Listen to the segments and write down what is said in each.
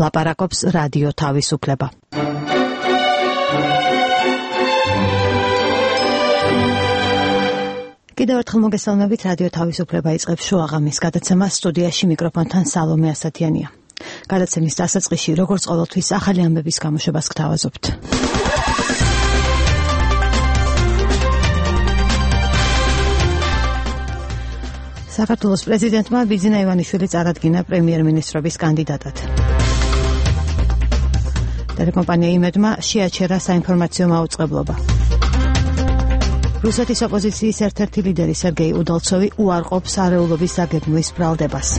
ლაპარაკობს რადიო თავისუფლება. კიდევ ერთხელ მოგესალმებით, რადიო თავისუფლება იწყებს შუაღამის გადაცემას, სტუდიაში მიკროფონთან სალომე ასათიანია. გადაცემის დასაწყისში, როგორც ყოველთვის, ახალი ამბების გამოშვებას გთავაზობთ. საქართველოს პრეზიდენტმა ბიძინა ივანიშვილი წარადგინა პრემიერ-მინისტრობის კანდიდატად. ტელეკომპანია იმედმა შეაჩერა საინფორმაციო მაუწყებლობა. რუსეთის ოპოზიციის ერთ-ერთი ლიდერი სერგეი უდალცოვი უარყოფს არეულობის დაგეგმვის ბრალდებას.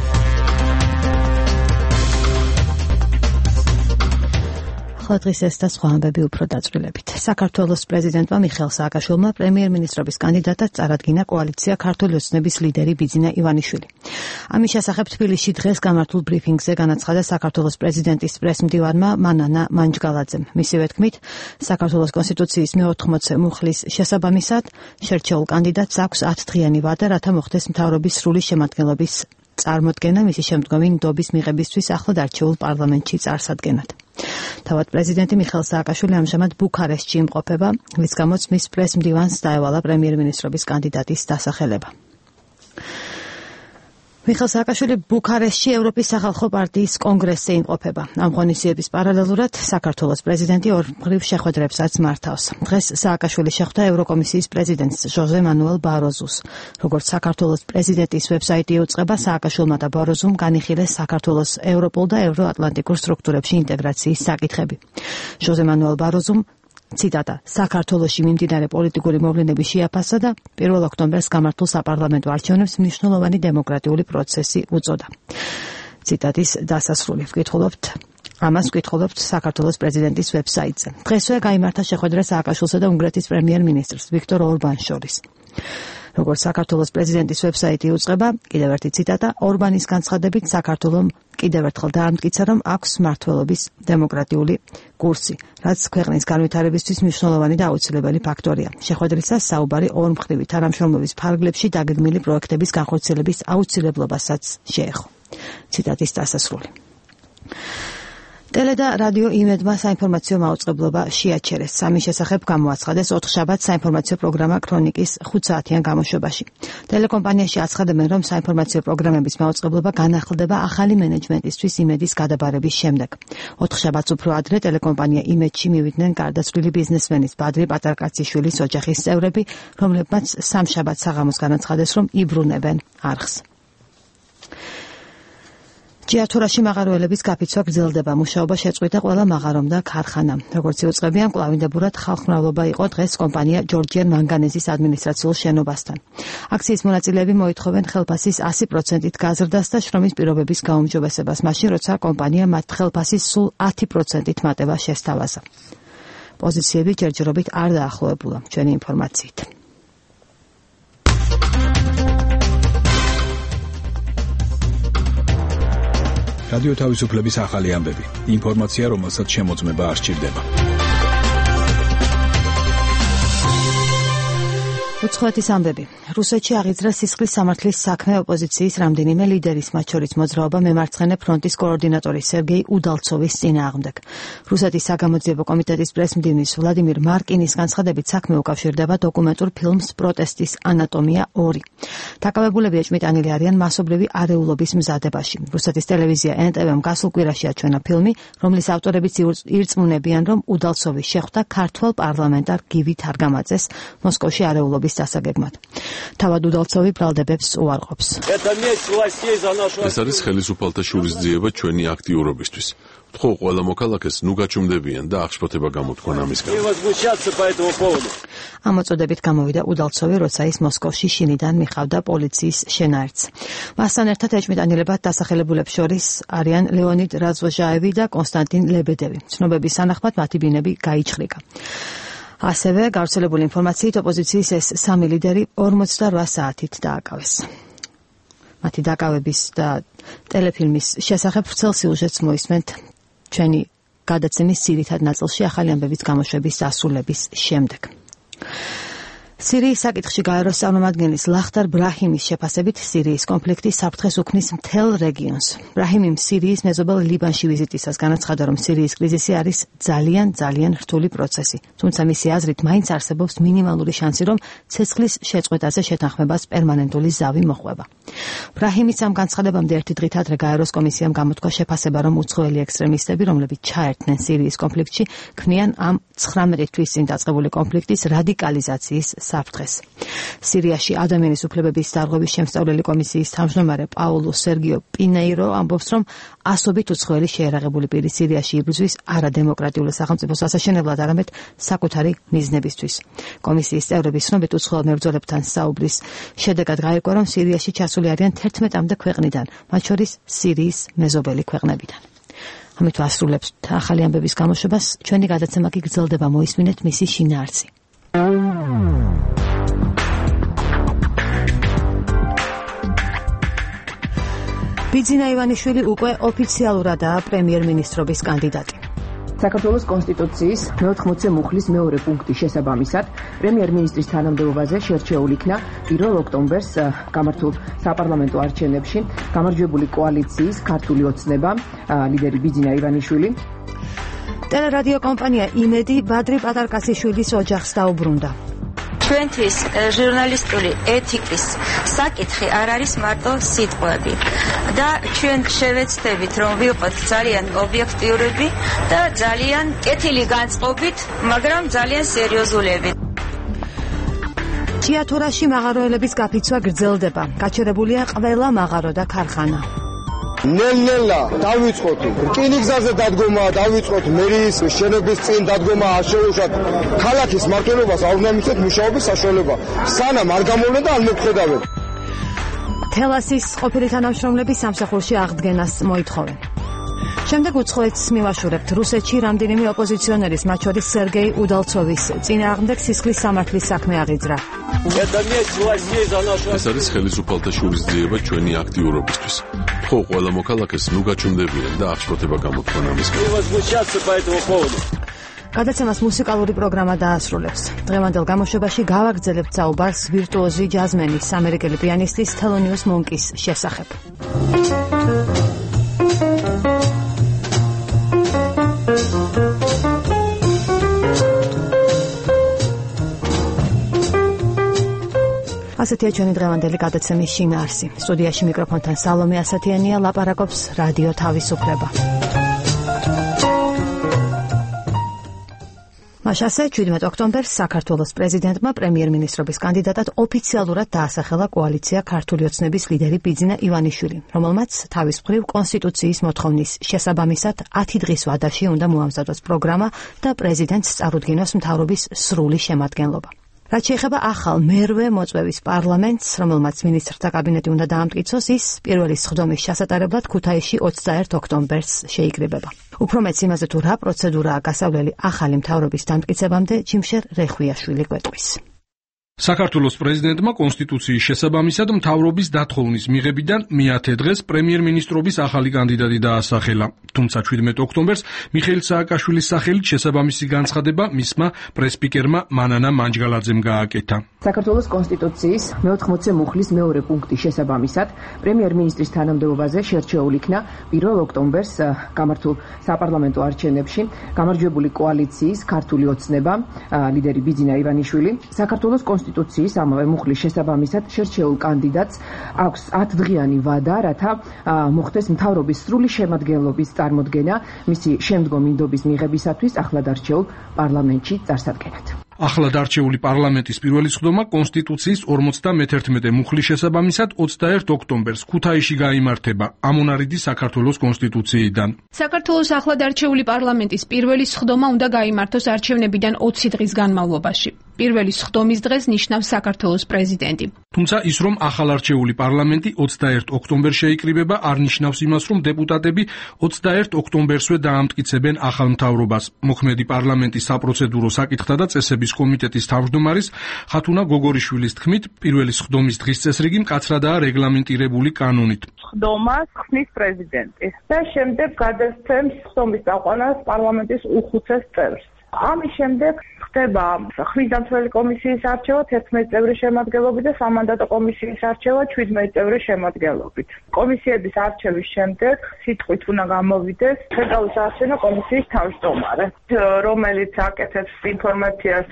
ახლა დღის ეს და სხვა ამბები უფრო დაწვრილებით. საქართველოს პრეზიდენტმა მიხეილ სააკაშვილმა პრემიერ-მინისტრობის კანდიდატად წარადგინა კოალიცია ქართული ოცნების ლიდერი ბიძინა ივანიშვილი. ამის შესახებ თბილისში დღეს გამართულ ბრიფინგზე განაცხადა საქართველოს პრეზიდენტის პრესმდივანმა მანანა მანჯგალაძემ. მისივე თქმით, საქართველოს კონსტიტუციის მე-80 მუხლის შესაბამისად შერჩეულ კანდიდატს აქვს 10 დღიანი ვადა, რათა მოხდეს მთავრობის სრული შემადგენლობის წარმოდგენა მისი შემდგომი ნდობის მიღებისთვის ახლად არჩეულ პარლამენტში წარსადგენად. თავად პრეზიდენტი მიხეილ სააკაშვილი ამჟამად ბუქარესტში იმყოფება, რის გამოც მის პრესმდივანს დაევალა პრემიერ-მინისტრობის კანდიდატის დასახელება. მიხეილ სააკაშვილი ბუქარესტში ევროპის სახალხო პარტიის კონგრესზე იმყოფება. ამ ღონისძიების პარალელურად საქართველოს პრეზიდენტი ორმხრივ შეხვედრებსაც მართავს. დღეს სააკაშვილი შეხვდა ევროკომისიის პრეზიდენტს ჟოზე მანუელ ბაროზუს. როგორც საქართველოს პრეზიდენტის ვებსაიტი იუწყება, სააკაშვილმა და ბაროზუმ განიხილეს საქართველოს ევროპულ და ევროატლანტიკურ სტრუქტურებში ინტეგრაციის საკითხები. ჟოზე მანუელ ბაროზუმ ციტატა საქართველოში მიმდინარე პოლიტიკური მოვლენების შეაფასა და 1 ოქტომბერს გამართულ საპარლამენტო არჩევნებს მნიშვნელოვანი დემოკრატიული პროცესი უწოდა. ციტატის დასასრული ამას ვკითხულობთ საქართველოს პრეზიდენტის ვებსაიტზე. დღესვე გაიმართა შეხვედრა სააკაშვილსა და უნგრეთის პრემიერ-მინისტრს ვიქტორ ორბანს შორის. როგორც საქართველოს პრეზიდენტის ვებსაიტი იუწყება, კიდევ ერთი ციტატა, ორბანის განცხადებით საქართველომ კიდევ ერთხელ დაამტკიცა, რომ აქვს მმართველობის დემოკრატიული კურსი, რაც ქვეყნის განვითარებისთვის მნიშვნელოვანი და აუცილებელი ფაქტორია. შეხვედრისას საუბარი ორმხრივი თანამშრომლობის ფარგლებში დაგეგმილი პროექტების განხორციელების აუცილებლობასაც შეეხო. ციტატის დასასრული. ტელე და რადიო იმედმა საინფორმაციო მაუწყებლობა შეაჩერეს. ამის შესახებ გამოაცხადეს 4 შაბათს საინფორმაციო პროგრამა ქრონიკის 5 საათიან გამოშვებაში. ტელეკომპანიაში აცხადებენ, რომ საინფორმაციო პროგრამების მაუწყებლობა განახლდება ახალი მენეჯმენტისთვის იმედის გადაბარების შემდეგ. 4 შაბათს უფრო ადრე ტელეკომპანია იმედში მივიდნენ გარდაცვლილი ბიზნესმენის ბადრი პატარკაციშვილის ოჯახის წევრები, რომლებმაც სამშაბათს საღამოს განაცხადეს, რომ იბრუნებენ არხს. ჭიათურაში მაღაროელების გაფიცვა გრძელდება. მუშაობა შეწყვიტა ყველა მაღარომ და ქარხანამ. როგორც იუწყებიან, კვლავინდებურად ხალხმრავლობა იყო დღეს კომპანია ჯორჯიან მანგანეზის ადმინისტრაციულ შენობასთან. აქციის მონაწილეები მოითხოვენ ხელფასის 100%-ით გაზრდას და შრომის პირობების გაუმჯობესებას, მაშინ როცა კომპანია მათ ხელფასის სულ 10%-ით მატება შესთავაზა. პოზიციები ჯერჯერობით არ დაახლოებულა. ჩვენი ინფორმაციით. რადიო თავისუფლების ახალი ამბები. ინფორმაცია, რომელსაც შემოწმება არ სჭირდება. უცხოეთის ამბები. რუსეთში აღიძრა სისხლის სამართლის საქმე ოპოზიციის რამდენიმე ლიდერის, მათ შორის მოძრაობა მემარცხენე ფრონტის კოორდინატორის სერგეი უდალცოვის წინააღმდეგ. რუსეთის საგამოძიებო კომიტეტის პრესმდივნის ვლადიმირ მარკინის განცხადებით საქმე უკავშირდება დოკუმენტურ ფილმს პროტესტის ანატომია 2. დაკავებულები ეჭვმიტანილი არიან მასობრივი არეულობის მზადებაში. რუსეთის ტელევიზია NTV-მ გასულ კვირაში აჩვენა ფილმი, რომლის ავტორებიც ირწმუნებიან, რომ უდალცოვის შეხვდა ქართველ პარლამენტარ გივი თარგამაძეს მოსკოვში არეულობის დასაგეგმად. თავად უდალცოვი ბრალდებებს უარყოფს. ეს არის ხელისუფალთა შურისძიება ჩვენი აქტიურობისთვის. ვთხოვ ყველა მოქალაქეს ნუ გაჩუმდებიან და აღშფოთება გამოთქვან ამისგან. ამ მოწოდებით გამოვიდა უდალცოვი, როცა ის მოსკოვში შინიდან მიხავდა პოლიციის შენაერთს. მასთან ერთად ეჭვმიტანილებად დასახელებულებს შორის არიან ლეონიდ რაზვოჟაევი და კონსტანტინ ლებედევი. ცნობების სანახმად მათი ბინები გაიჩხრიკა. ასევე გავრცელებული ინფორმაციით ოპოზიციის ეს 3 ლიდერი 48 საათით დააკავეს. მათი დაკავების და ტელეფილმის შესახებ ვრცელ სიუჟეტს მოისმენთ ჩვენი გადაცემის ძირითად ნაწილში ახალი ამბების გამოშვების დასრულების შემდეგ. სირიის საკითხში გაეროს წარმომადგენლის ლახტარ ბრაჰიმის შეფასებით სირიის კონფლიქტი საფრთხეს უქმნის მთელ რეგიონს. ბრაჰიმიმ სირიის მეზობელ ლიბანში ვიზიტისას განაცხადა, რომ სირიის კრიზისი არის ძალიან რთული პროცესი. თუმცა მისი აზრით მაინც არსებობს მინიმალური შანსი, რომ ცეცხლის შეწყვეტაზე შეთანხმებას პერმანენტული ზავი მოხვება. ბრაჰიმის ამ განცხადებამდე ერთი დღით ადრე გაეროს კომისიამ გამოთქვა შეფასება, რომ უცხოელი ექსტრემისტები, რომლებიც ჩაერთნენ სირიის კონფლიქტში, ქმნიან ამ 19 თვის წინ დაწყებული კონფლიქტის რადიკალიზაციის საფრთხეს. სირიაში ადამიანის უფლებების დარღვევის შემსწავლელი კომისიის თავმჯდომარე პაულო სერგიო პინეირო ამბობს, რომ ასობით უცხოელი შეერაღებული პირი სირიაში იბრძვის არადემოკრატიულ სახელმწიფოს ასაშენებლად, არამედ საკუთარი მიზნებისთვის. კომისიის წევრების ცნობით უცხოელ მებრძოლებთან საუბრის შედეგად გაირკვა, რომ სირიაში ჩასული არიან 11-მდე ქვეყნიდან, მათ შორის სირიის მეზობელი ქვეყნებიდან. ამით ვასრულებთ ახალი ამბების გამოშვებას. ჩვენი გადაცემა კი გრძელდება, მოისმინეთ მისი შინაარსი. ბიძინა ივანიშვილი უკვე ოფიციალურადაა პრემიერ-მინისტრობის კანდიდატი. საქართველოს კონსტიტუციის 14 მუხლის მეორე პუნქტის შესაბამისად პრემიერ-მინისტრის თანამდებობაზე შერჩეულ იქნა 1 ოქტომბერს გამართულ საპარლამენტო არჩევნებში გამარჯვებული კოალიციის ქართული ოცნება ლიდერი ბიძინა ივანიშვილი. ტელერადიო კომპანია იმედი ბადრი პატარკასიშვილის ოჯახს დაუბრუნდა. ჩვენთვის ჟურნალისტური ეთიკის საკითხი არ არის მარტო სიტყვები და ჩვენ შევეცდებით, რომ ვიყოთ ძალიან ობიექტიურები და ძალიან კეთილი განწყობით, მაგრამ ძალიან სერიოზულები. თეატრში მაღაროელების გაფიცვა გრძელდება. გაჩერებულია ყველა მაღარო და ქარხანა. ნელ-ნელა დავიწყოთ რკინიგზაზე დადგომა, დავიწყოთ მერიის შენობის წინ დადგომა, არ შეუშვათ ქალაქის მმართველობას არ უნდა მისცეთ მუშაობის საშუალება. სანამ არ გამოვლენ და არ მოგხედავენ. თელასის ყოფილი თანამშრომლები სამსახურში აღდგენას მოითხოვენ. შემდეგ უცხოეთს მივაშურებთ. რუსეთში რამდენიმე ოპოზიციონერის, მათ შორის სერგეი უდალცოვის წინააღმდეგ სისხლის სამართლის საქმე აღიძრა. ეს არის ხელისუფალთა შურისძიება ჩვენი აქტიურობისთვის. ხო, ყველა მოქალაქეს ნუ გაჩვენდებიან და აღშფოთება გამოთქვან ამის გამო. გადაცემას მუსიკალური პროგრამა დაასრულებს. დღევანდელ გამოშვებაში გავაგრძელებთ საუბარს ვირტუოზი ჯაზმენის, ამერიკელი პიანისტის თელონიუს მონკის შესახებ. ასეთია ჩვენი დღევანდელი გადაცემის შინაარსი. სტუდიაში მიკროფონთან სალომე ასათიანია, ლაპარაკობს რადიო თავისუფლება. მაშასე 17 ოქტომბერს საქართველოს პრეზიდენტმა პრემიერ-მინისტრობის კანდიდატად ოფიციალურად დაასახელა კოალიცია ქართული ოცნების ლიდერი ბიძინა ივანიშვილი, რომელმაც თავის მხრივ კონსტიტუციის მოთხოვნის შესაბამისად 10 დღის ვადაში უნდა მოამზადოს პროგრამა და პრეზიდენტს წარუდგინოს მთავრობის სრული შემადგენლობა. რაც შეეხება ახალ მერვე მოწვევის პარლამენტს, რომელმაც მინისტრთა კაბინეტი უნდა დაამტკიცოს, ის პირველი სხდომის ჩასატარებლად ქუთაისში 21 ოქტომბერს შეიკრიბება. უფრო მეც იმაზე, თუ რა პროცედურაა გასავლელი ახალი მთავრობის დამტკიცებამდე, ჯიმშერ რეხვიაშვილი გვეტყვის. საქართველოს პრეზიდენტმა კონსტიტუციის შესაბამისად მთავრობის დათხოვნის მიღებიდან მე-10 დღეს პრემიერ-მინისტრობის ახალი კანდიდატი დაასახელა. თუმცა 17 ოქტომბერს მიხეილ სააკაშვილის სახელით შესაბამისი განცხადება მისმა პრესპიკერმა მანანა მანჯგალაძემ გააკეთა. საქართველოს კონსტიტუციის 14 მუხლის მეორე პუნქტის შესაბამისად პრემიერ-მინისტრის თანამდებობაზე შერჩეულ იქნა 1 ოქტომბერს გამართულ საპარლამენტო არჩევნებში გამარჯვებული კოალიციის ქართული ოცნება ლიდერი ბიძინა ივანიშვილი. საქართველოს კონსტიტუციის ამავე მუხლის შესაბამისად შერჩეულ კანდიდატს აქვს 10 დღიანი ვადა, რათა მოხდეს მთავრობის სრული შემადგენლობის წარმოდგენა მისი შემდგომი მიღებისათვის ახლად არჩეულ პარლამენტში წარსადგენად. ახლად არჩეული პარლამენტის პირველი სხდომა კონსტიტუციის 51 მუხლის შესაბამისად 21 ოქტომბერს ქუთაისში გაიმართება ამონარიდის საქართველოს კონსტიტუციიდან. საქართველოს ახლად არჩეული პარლამენტის პირველი სხდომა უნდა გაიმართოს არჩევნებიდან 20 დღის განმავლობაში. პირველი სხდომის დღეს ნიშნავს საქართველოს პრეზიდენტი. თუმცა ის, რომ ახალ არჩეული პარლამენტი 21 ოქტომბერს შეიკრიბება, არ ნიშნავს იმას, რომ დეპუტატები 21 ოქტომბერსვე დაამტკიცებენ ახალ მთავრობას. მოქმედი პარლამენტის საპროცედურო საკითხთა და წესების კომიტეტის თავმჯდომარის ხათუნა გოგორიშვილის თქმით, პირველი სხდომის დღის წესრიგი მკაცრადაა რეგლამენტირებული კანონით. სხდომას ხსნის პრეზიდენტი და შემდეგ გადასცემს სხდომის წაყვანას პარლამენტის უხუცეს წევრს. ამის შემდეგ ხდება ხმისდამცველი კომისიის არჩევა 11 წევრის შემადგენლობით და სამანდატო კომისიის არჩევა 17 წევრის შემადგენლობით. კომისიების არჩევის შემდეგ სიტყვით უნდა გამოვიდეს ცენტრალური საარჩევნო კომისიის თავმჯდომარე, რომელიც აკეთებს ინფორმაციას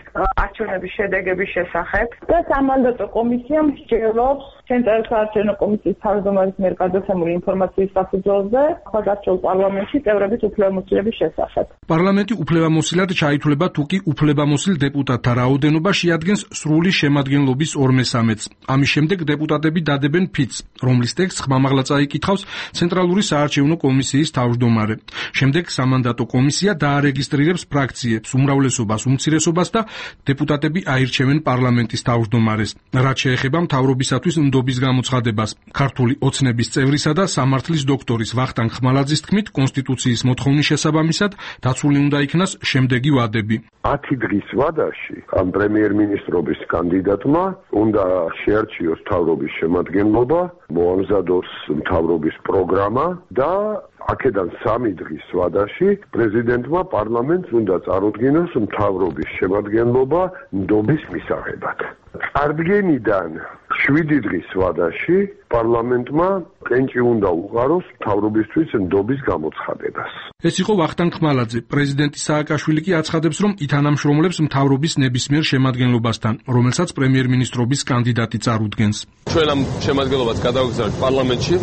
არჩევნების შედეგების შესახებ და სამანდატო კომისიამ სჯელობს ცენტრალური საარჩევნო კომისიის თავმჯდომარის მიერ გადაცემული ინფორმაციის საფუძველზე ხალხურ პარლამენტში წევრების უფლებამოსილების შესახებ. პარლამენტი უფლებამოსილად ჩაითვლება თუ კი უფლებამოსილ დეპუტატთა რაოდენობა შეადგენს სრული შემადგენლობის 2/3-ს. ამის შემდეგ დეპუტატები დადებენ ფიცს, რომლის ტექსტს ხმამაღლა წაიკითხავს ცენტრალური საარჩევნო კომისიის თავმჯდომარე. შემდეგ სამანდატო კომისია დაარეგისტრირებს ფრაქციებს, უმრავლესობას, უმცირესობას და დეპუტატები აირჩევენ პარლამენტის თავმჯდომარეს. რაც შეეხება მთავრობისათვის ნდობის გამოცხადებას, ქართული ოცნების წევრისა და სამართლის დოქტორის ვახტანგ ხმალაძის თქმით, კონსტიტუციის მოთხოვნის შესაბამისად დაცული უნდა იქნას შემდეგი ვადები. 10 დღის ვადაში ამ პრემიერ-მინისტრობის კანდიდატმა უნდა შეარჩიოს მთავრობის შემადგენლობა, მოამზადოს მთავრობის პროგრამა და აქედან 3 დღის ვადაში პრეზიდენტმა პარლამენტს უნდა წარუდგინოს მთავრობის შემადგენლობა ნდობის მისაღებად. წარდგენიდან 7 დღის ვადაში პარლამენტმა კენჭი უნდა უყაროს მთავრობისთვის ნდობის გამოცხადებას. ეს იყო ვახტანგ ხმალაძე. პრეზიდენტი სააკაშვილი კი აცხადებს, რომ ითანამშრომლებს მთავრობის ნებისმიერ შემადგენლობასთან, რომელსაც პრემიერ-მინისტრობის კანდიდატი წარუდგენს. ჩვენ ამ შემადგენლობას გადავაგზავნებთ პარლამენტში.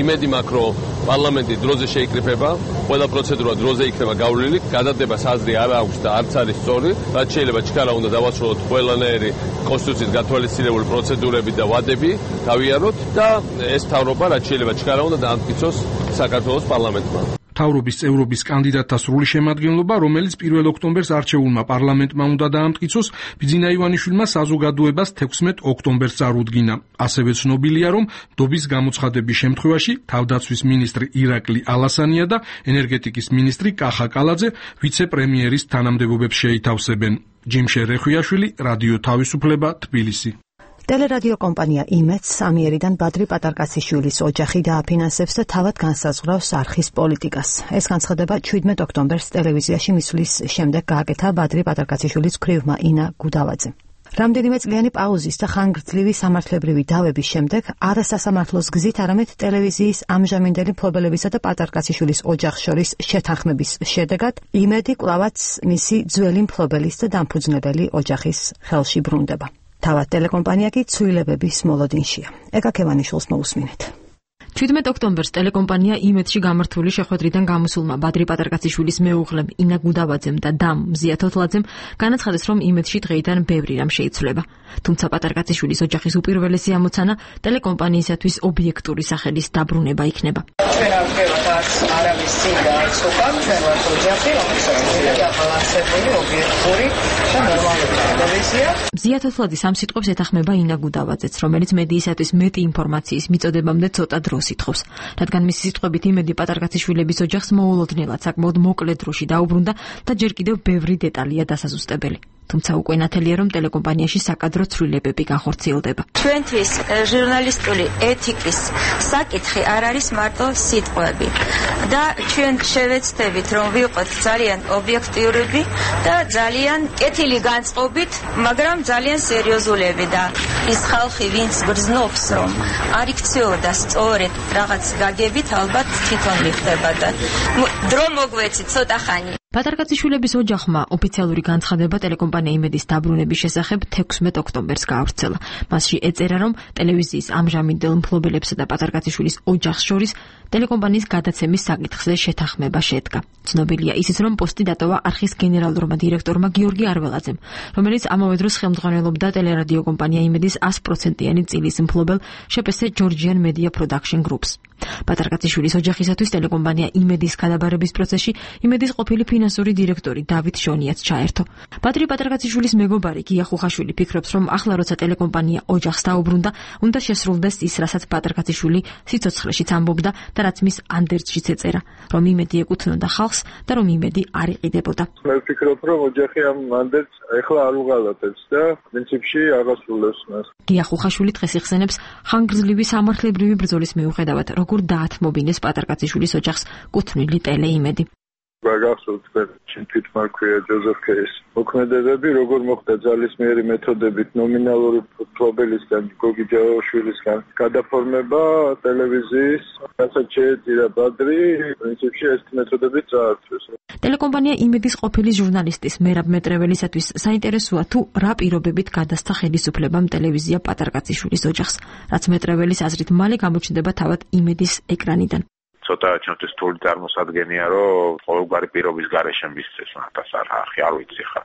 იმედი მაქვს, რომ პარლამენტი დროზე შეიკრიფება, ყველა პროცედურა დროზე იქნება გავლილი, გადადებას აზრი არ აქვს და არც არის სწორი, რაც შეიძლება ჩქარა უნდა დავასრულოთ ყველანაირი კონსტიტუციის გათვალისწინებული პროცედურები და ვადები გავიაროთ და ეს მთავრობა რაც შეიძლება ჩქარა უნდა დაამტკიცოს საქართველოს პარლამენტმა. მთავრობის წევრობის კანდიდატთა სრული შემადგენლობა, რომელიც 1 ოქტომბერს არჩეულმა პარლამენტმა უნდა დაამტკიცოს, ბიძინა ივანიშვილმა საზოგადოებას 16 ოქტომბერს წარუდგინა. ასევე ცნობილია, რომ ნდობის გამოცხადების შემთხვევაში თავდაცვის მინისტრი ირაკლი ალასანია და ენერგეტიკის მინისტრი კახა კალაძე ვიცე-პრემიერის თანამდებობებს შეითავსებენ. ჯიმშე რეხვიაშვილი, რადიო თავისუფლება, თბილისი. ტელერადიო კომპანია იმედს ამიერიდან ბადრი პატარკაციშვილის ოჯახი დააფინანსებს და თავად განსაზღვრავს არხის პოლიტიკას. ეს განცხადება 17 ოქტომბერს ტელევიზიაში მისვლის შემდეგ გააკეთა ბადრი პატარკაციშვილის ქვრივმა ინა გუდავაძემ. რამდენიმე წლიანი პაუზის და ხანგრძლივი სამართლებრივი დავების შემდეგ არასასამართლოს გზით არამედ ტელევიზიის ამჟამინდელი მფლობელებისა და პატარკაციშვილის ოჯახს შორის შეთანხმების შედეგად იმედი კვლავაც მისი ძველი მფლობელის და დამფუძნებელი ოჯახის ხელში ბრუნდება. თავად ტელეკომპანია კი ცვლილებების მოლოდინშია. ეკა ქევანიშვილს მოусმინეთ. 17 ოქტომბერს ტელეკომპანია იმედში გამართული შეხვედრიდან გამოსულმა ბადრი პატარკაციშვილის მეუღლემ ინა გუდავაძემ და დამ მზია თოთლაძემ განაცხადეს, რომ იმედში დღეიდან ბევრი რამ შეიცვლება. თუმცა პატარკაციშვილის ოჯახის უპირველესი ამოცანა ტელეკომპანიისათვის ობიექტური სახელის დაბრუნება იქნება. ჩვენ არ ვდგევთ არავის წინ და არც უკან, ჩვენ ვართ ოჯახი, რომელსაც უნდა დაბალანსებული, ობიექტური და ნორმალური ტელევიზია. მზია თოთლაძის ამ სიტყვებს ეთანხმება ინა გუდავაძეც, რომელიც მედიისათვის მეტი ინფორმაციის მიწოდებამდე ცოტა დროს ითხოვს. რადგან მისი სიტყვებით იმედი პატარკაციშვილების ოჯახს მოულოდნელად საკმაოდ მოკლე დროში დაუბრუნდა და ჯერ კიდევ ბევრი დეტალია დასაზუსტებელი. თუმცა უკვე ნათელია, რომ ტელეკომპანიაში საკადრო ცვლილებები განხორციელდება. ჩვენთვის ჟურნალისტური ეთიკის საკითხი არ არის მარტო სიტყვები და ჩვენ შევეცდებით, რომ ვიყოთ ძალიან ობიექტიურები და ძალიან კეთილი განწყობით, მაგრამ ძალიან სერიოზულები და ის ხალხი, ვინც გრძნობს, რომ არ იქცეოდა სწორედ რაღაც გაგებით, ალბათ თვითონ მიხდება და დრო მოგვეცით ცოტა ხანი. პატარკაციშვილების ოჯახმა ოფიციალური განცხადება ტელეკომპანია იმედის დაბრუნების შესახებ 16 ოქტომბერს გაავრცელა. მასში ეწერა, რომ ტელევიზიის ამჟამინდელ მფლობელებსა და პატარკაციშვილის ოჯახს შორის ტელეკომპანიის გადაცემის საკითხზე შეთანხმება შედგა. ცნობილია ისიც, რომ პოსტი დატოვა არხის გენერალურმა დირექტორმა გიორგი არველაძემ, რომელიც ამავე დროს ხელმძღვანელობდა ტელერადიო კომპანია იმედის 100%-იანი წილის მფლობელ შპს ჯორჯიან მედია პროდაქშენ გრუპს. პატარკაციშვილის ოჯახისათვის ტელეკომპანია იმედის გადაბარების პროცესში იმედის ყოფილი ფინანსური დირექტორი დავით ჟონიაც ჩაერთო. ბადრი პატარკაციშვილის მეგობარი გია ხუხაშვილი ფიქრობს, რომ ახლა როცა ტელეკომპანია ოჯახს დაუბრუნდა, უნდა შესრულდეს ის, რასაც პატარკაციშვილი სიცოცხლეშიც ამბობდა და რაც მის ანდერძშიც ეწერა, რომ იმედი ეკუთვნოდა ხალხს და რომ იმედი არ იყიდებოდა. მე ვფიქრობ, რომ ოჯახი ამ ანდერძს ეხლა არ უღალატებს და პრინციპში აღასრულებს მას. გია ხუხაშვილი დღეს იხსენებს ხანგრძლივი სამართლებრივი ბრძოლის მიუხედავად, როგორ დაათმობინეს პატარკაციშვილის ოჯახს კუთვნილი ტელეიმედი. გახსოვთ ჩვენ თვითმარქვია ჯოზეფ კეის მოქმედებები, როგორ მოხდა ძალისმიერი მეთოდებით ნომინალური მფლობელისგან გოგი ჯავაშვილისგან გადაფორმება ტელევიზიის, რასაც შეეწირა ბადრი, პრინციპში ეს მეთოდები წაართვეს. ტელეკომპანია იმედის ყოფილი ჟურნალისტის მერაბ მეტრეველისათვის საინტერესოა თუ რა პირობებით გადასცა ხელისუფლებამ ტელევიზია პატარკაციშვილის ოჯახს, რაც მეტრეველის აზრით მალე გამოჩნდება თავად იმედის ეკრანიდან. ცოტა ჩვენთვის რთული წარმოსადგენია, რომ ყოველგვარი პირობის გარეშე მისცეს მათას არ ვიცი ხა.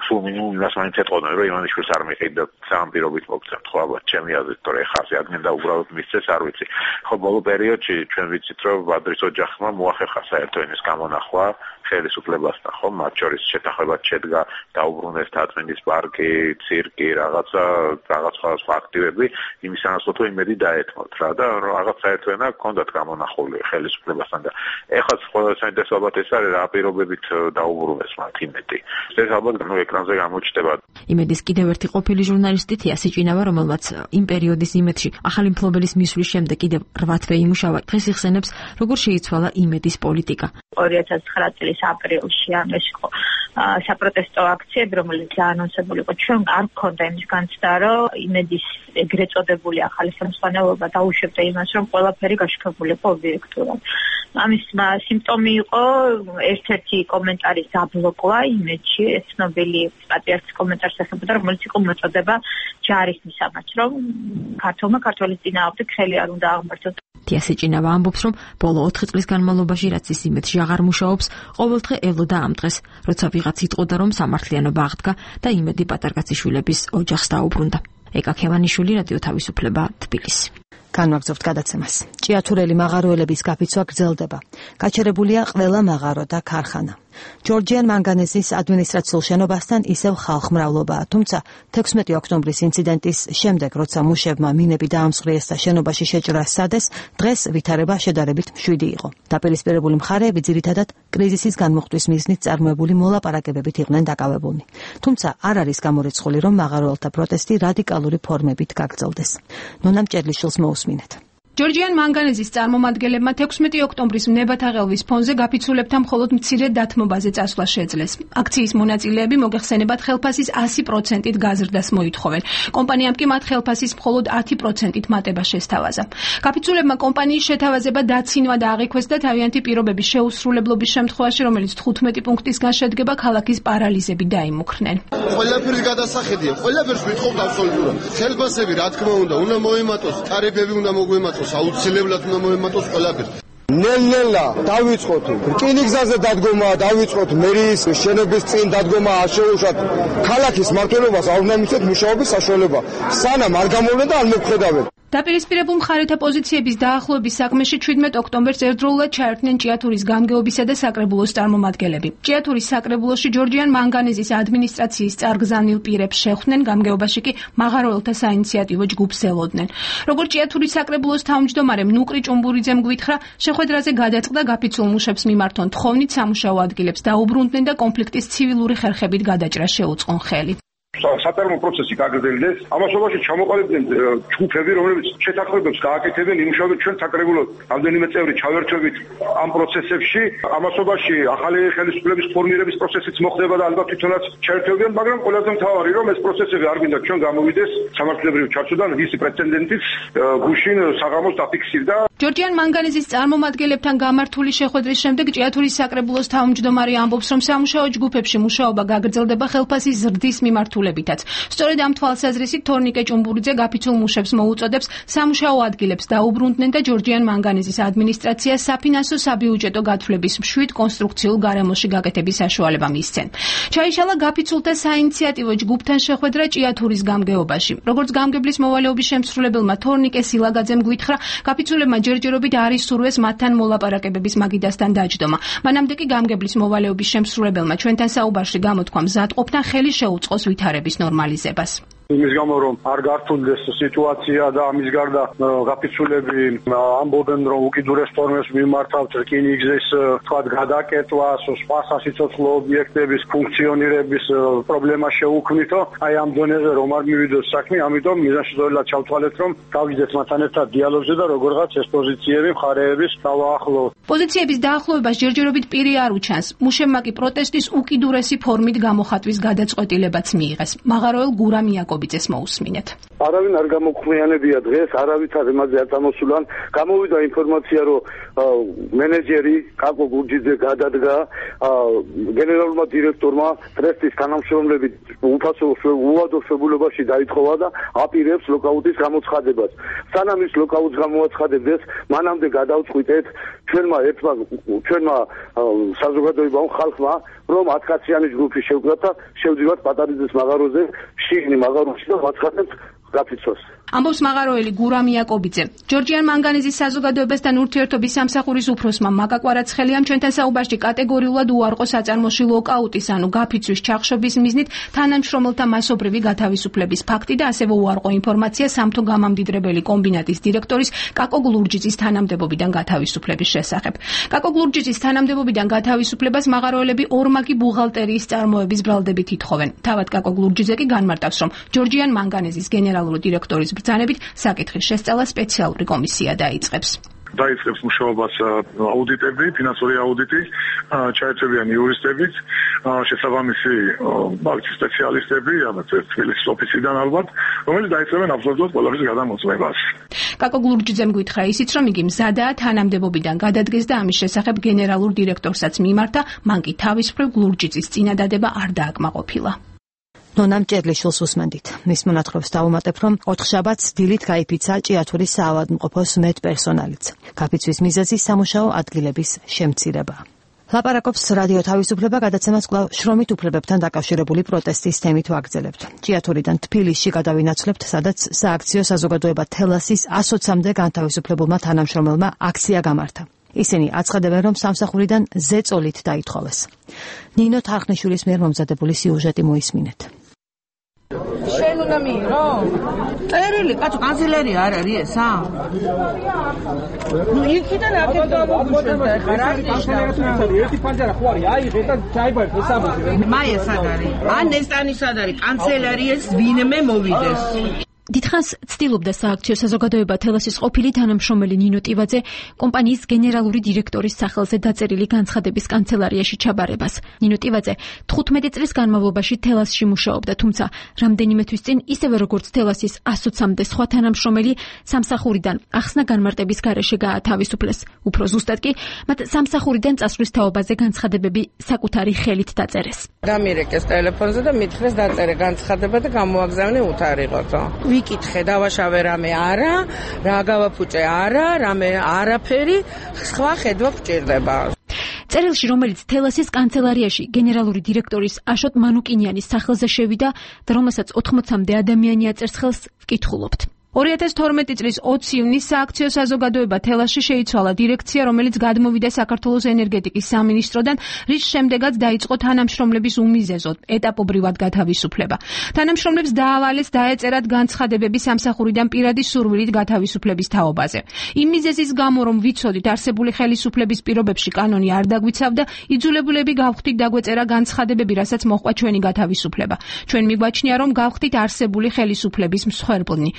სულ მინიმუმ იმას მაინც ეთყოდნენ, რომ ივანიშვილს არ მიყიდ და სამ პირობით მოგცემთ, ხო ალბათ ჩემი აზრით, რომ ეხა ასე ადგენ და უბრალოდ მისცეს, არ ვიცი. ხო ბოლო პერიოდში ჩვენ ვიცით, რომ ბადრის ოჯახმა მოახერხა საერთო ენის გამონახვა ხელისუფლებასთან, ხო, მათ შორის შეთანხმებად შედგა დაუბრუნეს თათმენის პარკი, ცირკი, რაღაც სხვა აქტივები, იმის ანაცვლოდ იმედი დაეთმოთ რა და რაღაც საერთო ენა ჰქონდათ გამონახული ხელისუფლებასთან და ეხლა ყველა საინტერესო ალბათ ეს არის რა პირობებით დაუბრუნეს მათ იმედი. ეს ალბათ ეკრანზე გამოჩნდება. იმედის კიდევ ერთი ყოფილი ჟურნალისტი თია სიჭინავა, რომელმაც იმ პერიოდის იმედში ახალი მფლობელის მისვლის შემდეგ კიდევ 8 თვე იმუშავა, დღეს იხსენებს, როგორ შეიცვალა იმედის პოლიტიკა. 2009 წლის აპრილში ამას იყო საპროტესტო აქციები, რომელიც აანონსებული იყო. ჩვენ არ გქონდა იმის განცდა, რომ იმედის ეგრეთ წოდებული ახალი ხელმძღვანელობა დაუშვებდა იმას, რომ ყველაფერი გაშუქებული იყო ობიექტურად. ამის სიმპტომი იყო ერთ-ერთი კომენტარის დაბლოკვა იმედში, ეს ცნობილი პატრიარქის კომენტარს ეხებოდა, რომელიც იყო მოწოდება ჯარის მისამაც, რომ ქართველის წინააღმდეგ ხელი არ უნდა აღმართოს. თია სიჭინავა ამბობს, რომ ბოლო 4 წლის განმავლობაში, რაც ის იმედში აღარ მუშაობს, ყოველდღე ელოდა ამ დღეს, როცა ვიღაც იტყოდა, რომ სამართლიანობა აღდგა და იმედი პატარკაციშვილების ოჯახს დაუბრუნდა. ეკა ქევანიშვილი, რადიო თავისუფლება, თბილისი. განვაგრძობთ გადაცემას. ჭიათურელი მაღაროელების გაფიცვა გრძელდება. გაჩერებულია ყველა მაღარო და ქარხანა. ჯორჯიან მანგანეზის ადმინისტრაციულ შენობასთან ისევ ხალხმრავლობაა, თუმცა 16 ოქტომბრის ინციდენტის შემდეგ, როცა მუშებმა მინები დაამსხვრიეს და შენობაში შეჭრა სცადეს, დღეს ვითარება შედარებით მშვიდი იყო. დაპირისპირებული მხარეები ძირითადად კრიზისის განმუხტვის მიზნით წარმოებული მოლაპარაკებებით იყვნენ დაკავებულნი. თუმცა არ არის გამორიცხული, რომ მაღაროელთა პროტესტი რადიკალური ფორმებით გაგრძელდეს. ნონა მჭედლიშვილს მოусმინეთ. ჯორჯიან მანგანეზის წარმომადგენლებმა 16 ოქტომბრის ნებათაღელვის ფონზე გაფიცულებთან მხოლოდ მცირე დათმობაზე წასვლა შეძლეს. აქციის მონაწილეები მოგეხსენებათ ხელფასის 100%-ით გაზრდას მოითხოვენ. კომპანიამ კი მათ ხელფასის მხოლოდ 10%-ით მატება შესთავაზა. გაფიცულებმა კომპანიის შეთავაზება დაცინვა და აღიქვეს და თავიანთი პირობების შეუსრულებლობის შემთხვევაში, რომელიც 15 პუნქტისგან შედგება, ქალაქის პარალიზები დაიმუქრნენ. ყველაფერი გადასახედია, ყველაფერს ვიტყობთ აბსოლუტურად. ხელფასები რა თქმა უნდა მოემატოს, ტარიფები უნდა მოგვემატოს. აუცილებლად უნდა მოემატოს ყველაფერს. ნელ-ნელა დავიწყოთ რკინიგზაზე დადგომა, დავიწყოთ მერის შენობის წინ დადგომა, არ შეუშვათ ქალაქის მმართველობას არ უნდა მისცეთ მუშაობის საშუალება. სანამ არ გამოვლენ და არ მოგხედავენ. დაპირისპირებულ მხარეთა პოზიციების დაახლოების საქმეში 17 ოქტომბერს ერთდროულად ჩაერთნენ ჭიათურის გამგეობისა და საკრებულოს წარმომადგენლები. ჭიათურის საკრებულოში ჯორჯიან მანგანეზის ადმინისტრაციის წარგზავნილ პირებს შეხვდნენ, გამგეობაში კი მაღაროელთა საინიციატივო ჯგუფს ელოდნენ. როგორც ჭიათურის საკრებულოს თავმჯდომარე ნუკრი ჭუმბურიძემ გვითხრა, შეხვედრაზე გადაწყდა გაფიცულ მუშებს მიმართონ თხოვნით სამუშაო ადგილებს დაუბრუნდნენ და კონფლიქტის ცივილური ხერხებით გადაჭრა შეუწყონ ხელი. საწარმო პროცესი გაგრძელდეს. ამასობაში ჩამოყალიბდნენ ჯგუფები, რომლებიც შეთანხმებებს გააკეთებენ, იმუშავებენ ჩვენ საკრებულოს რამდენიმე წევრი ჩავერთვებით ამ პროცესებში. ამასობაში ახალი ხელისუფლების ფორმირების პროცესიც მოხდება და ალბათ თვითონაც ჩაერთვებიან, მაგრამ ყველაზე მთავარი რომ ეს პროცესები არ გვინდა ჩვენ გამოვიდეს სამართლებრივ ჩარჩოდან, ვისი პრეცედენტიც გუშინ საღამოს დაფიქსირდა. ჯორჯიან მანგანეზის წარმომადგენლებთან გამართული შეხვედრის შემდეგ ჭიათურის საკრებულოს თავმჯდომარე ამბობს, რომ სამუშაო ჯგუფებში მუშაობა გაგრძელდება ხელფასის ზრდის მიმართულებითაც. სწორედ ამ თვალსაზრისით თორნიკე ჭუმბურიძე გაფიცულ მუშებს მოუწოდებს სამუშაო ადგილებს დაუბრუნდნენ და ჯორჯიან მანგანეზის ადმინისტრაცია საფინანსო საბიუჯეტო გათვლების მშვიდ კონსტრუქციულ გარემოში გაკეთების საშუალება მისცენ. ჩაიშალა გაფიცულთა საინიციატივო ჯგუფთან შეხვედრა ჭიათურის გამგეობაში. როგორც გამგებლის მოვალეობის შემსრულებელმა თორნიკე სილაგაძემ გვითხრა, გაფიცულებმა ჯერჯერობით არ ისურვეს მათთან მოლაპარაკებების მაგიდასთან დაჯდომა. მანამდე კი გამგებლის მოვალეობის შემსრულებელმა ჩვენთან საუბარში გამოთქვა მზადყოფნა ხელი შეუწყოს ვითარების ნორმალიზებას. იმის გამო რომ არ გართულდეს სიტუაცია და ამის გარდა გაფიცულები ამბობენ რომ უკიდურეს ფორმებს მიმართავთ რკინიგზის თქვათ გადაკეთვას, სხვა სასიცოცხლო ობიექტების ფუნქციონირების პრობლემა შეუქმნითო, აი ამ დონეზე რომ არ მივიდოს საქმე, ამიტომ მიზანშეწონილად ჩავთვალეთ რომ გავიძეთ მათთან ერთად დიალოგზე და როგორღაც ეს პოზიციები მხარეების დავაახლოვოთ. პოზიციების დაახლოებას ჯერჯერობით პირი არ უჩანს. მუშებმა კი პროტესტის უკიდურესი ფორმით გამოხატვის გადაწყვეტილებაც მიიღეს. მაღაროელ გურამ იაკობიძეს მოусმინეთ. არავინ არ გამოქვიანებია დღეს, არავითარ იმაზე არ წამოსულან. გამოვიდა ინფორმაცია, რომ მენეჯერი კაკო გურჯიძე გადადგა გენერალურმა დირექტორმა ტრესტის თანამშრომლებით უადო შეფულებაში დაითხოვა და აპირებს ლოკაუტის გამოცხადებას. სანამ ის ლოკაუტს გამოაცხადებდეს, მანამდე გადავწყვიტეთ ჩვენმა საზოგადოებამ ხალხმა, რომ 10 კაციანი ჯგუფი შევკრათ და შევდივართ პატარიძის მაღაროზე, შიგნი მაღაროში და ვაცხადებთ გაფიცვას. ამბობს მაღაროელი გურამ იაკობიძე. ჯორჯიან მანგანეზის საზოგადოებასთან ურთიერთობის სამსახურის უფროსმა მაკა კვარაცხელიამ ჩვენთან საუბარში კატეგორიულად უარყო საწარმოში ლოკაუტის ანუ გაფიცვის ჩახშობის მიზნით თანამშრომელთა მასობრივი გათავისუფლების ფაქტი და ასევე უარყო ინფორმაცია სამთო გამამდიდრებელი კომბინატის დირექტორის კაკო გლურჯიძის თანამდებობიდან გათავისუფლების შესახებ. კაკო გლურჯიძის თანამდებობიდან გათავისუფლებას მაღაროელები ორმაგი ბუღალტერიის წარმოების ბრალდებით ითხოვენ. თავად კაკო გლურჯიძე კი განმარტავს, რომ ჯორჯიან მანგანეზის გენერალური დირექტორის ბრძანებით საკითხის შესწავლა სპეციალური კომისია დაიწყებს. დაიწყებს მუშაობას აუდიტები, ფინანსური აუდიტი, ჩაერთვებიან იურისტებიც, შესაბამისი ბანკის სპეციალისტები, ალბათ თბილისის ოფისიდან ალბათ, რომელიც დაიწყებენ აბსოლუტურად ყველაფრის გადამოწმებას. კაკო გლურჯიძემ გითხრა ისიც, რომ იგი მზადაა თანამდებობიდან გადადგეს და ამის შესახებ გენერალურ დირექტორსაც მიმართა, მან კი თავის მხრივ გლურჯიძის წინადადება არ დააკმაყოფილა. ნონამ ჭერლიშვილს უსმენდით. მის მონათხრობს დავუმატებ, რომ 4 შაბათს დილით გაიფიცა ჭიათურის საავადმყოფოს მეტპერსონალიც. გაფიცვის მიზეზი სამუშაო ადგილების შემცირება. ლაპარაკობს რადიო თავისუფლება, გადაცემას კვლავ შრომით უფლებებთან დაკავშირებული პროტესტის თემით ვაგრძელებთ. ჭიათურიდან თბილისში გადავინაცვლებთ, სადაც სააქციო საზოგადოება თელასის 120-მდე განთავისუფლებულმა თანამშრომელმა აქცია გამართა. ისინი აცხადებენ, რომ სამსახურიდან ზეწოლით დაითხოვეს. ნინო თარხნიშვილის მიერ მომზადებული სიუჟეტი მოისმინეთ. შენ უნდა მიიღო? წერილი, კაცო, კანცელერი არ არის ესა? ნუ იქიდან აქეთ გამოგუშვენ და ეხლა რა ნიშნავს? ერთი ფანჯარა ხო არის? აიღე და ჩაიბარეთ ესამოზე. მაია სად არის? ან ნესტანი სად არის? კანცელერიას ვინმე მოვიდეს. დიდხანს ცდილობდა სააქციო საზოგადოება თელასის ყოფილი თანამშრომელი ნინო ტივაძე კომპანიის გენერალური დირექტორის სახელზე დაწერილი განცხადების კანცელარიაში ჩაბარებას. ნინო ტივაძე 15 წლის განმავლობაში თელასში მუშაობდა, თუმცა რამდენიმე თვის წინ ისევე როგორც თელასის 120-მდე სხვა თანამშრომელი სამსახურიდან ახსნა განმარტების გარეშე გაათავისუფლეს. უფრო ზუსტად კი მათ სამსახურიდან წასვლის თაობაზე განცხადებები საკუთარი ხელით დაწერეს. გამირეკეს ტელეფონზე და მითხრეს დაწერე განცხადება და გამოაგზავნე უთარიღოთო. ვიკითხე, დავაშავე რამე არა, რა გავაფუჭე არა, რამე არაფერი, სხვა ხედვა გვჭირდება. წერილში, რომელიც თელასის კანცელარიაში გენერალური დირექტორის აშოტ მანუკინიანის სახელზე შევიდა და რომელსაც 80-მდე ადამიანი აწერს ხელს, ვკითხულობთ. 2012 წლის 20 ივნისს სააქციო საზოგადოება თელასში შეიცვალა დირექცია, რომელიც გადმოვიდა საქართველოს ენერგეტიკის სამინისტროდან, რის შემდეგაც დაიწყო თანამშრომლების უმიზეზო ეტაპობრივად გათავისუფლება. თანამშრომლებს დაავალეს დაეწერათ განცხადებები სამსახურიდან პირადი სურვილით გათავისუფლების თაობაზე. იმ მიზეზის გამო, რომ ვიცოდით არსებული ხელისუფლების პირობებში კანონი არ დაგვიცავდა, იძულებულები გავხდით დაგვეწერა განცხადებები, რასაც მოჰყვა ჩვენი გათავისუფლება. ჩვენ მიგვაჩნია, რომ გავხდით არსებული ხელისუფლების მსხვერპლნი.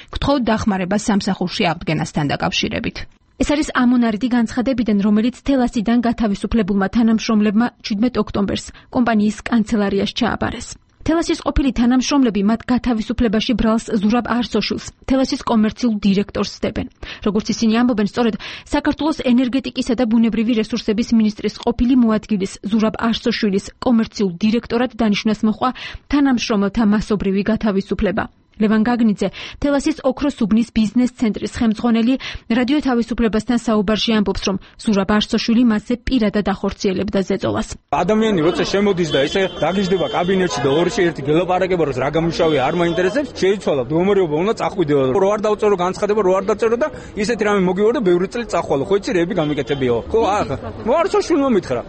დახმარებას სამსახურში აღდგენასთან დაკავშირებით. ეს არის ამონარიდი განცხადებიდან, რომელიც თელასიდან გათავისუფლებულმა თანამშრომლებმა 17 ოქტომბერს კომპანიის კანცელარიაში ჩააბარეს. თელასის ყოფილი თანამშრომლები მათ გათავისუფლებაში ბრალს ზურაბ არსოშვილს, თელასის კომერციულ დირექტორს სდებენ. როგორც ისინი ამბობენ, სწორედ საქართველოს ენერგეტიკისა და ბუნებრივი რესურსების მინისტრის ყოფილი მოადგილის ზურაბ არსოშვილის კომერციულ დირექტორად დანიშნას მოჰყვა თანამშრომელთა მასობრივი გათავისუფლება. ლევან გაგნიძე, თელასის ოქროს უბნის ბიზნეს ცენტრის ხელმძღვანელი, რადიო თავისუფლებასთან საუბარში ამბობს, რომ ზურაბ არსოშვილი მასზე პირადად ახორციელებდა ზეწოლას. ადამიანი როცა შემოდის და ესე დაგიждდება კაბინეტში და ორში ერთი გელაპარაკება, რომ რა გამუშავია არ მაინტერესებს, შეიცვალა მდგომარეობა, უნდა წახვიდეო. რო არ დავწერო განცხადება, რო არ დაწერო და ისეთი რამე მოგივარ და ბევრი წელი წახვალო. ხო იცი, რები გამიკეთებიო. ხო, ახლა. მო არსოშვილმა მითხრა.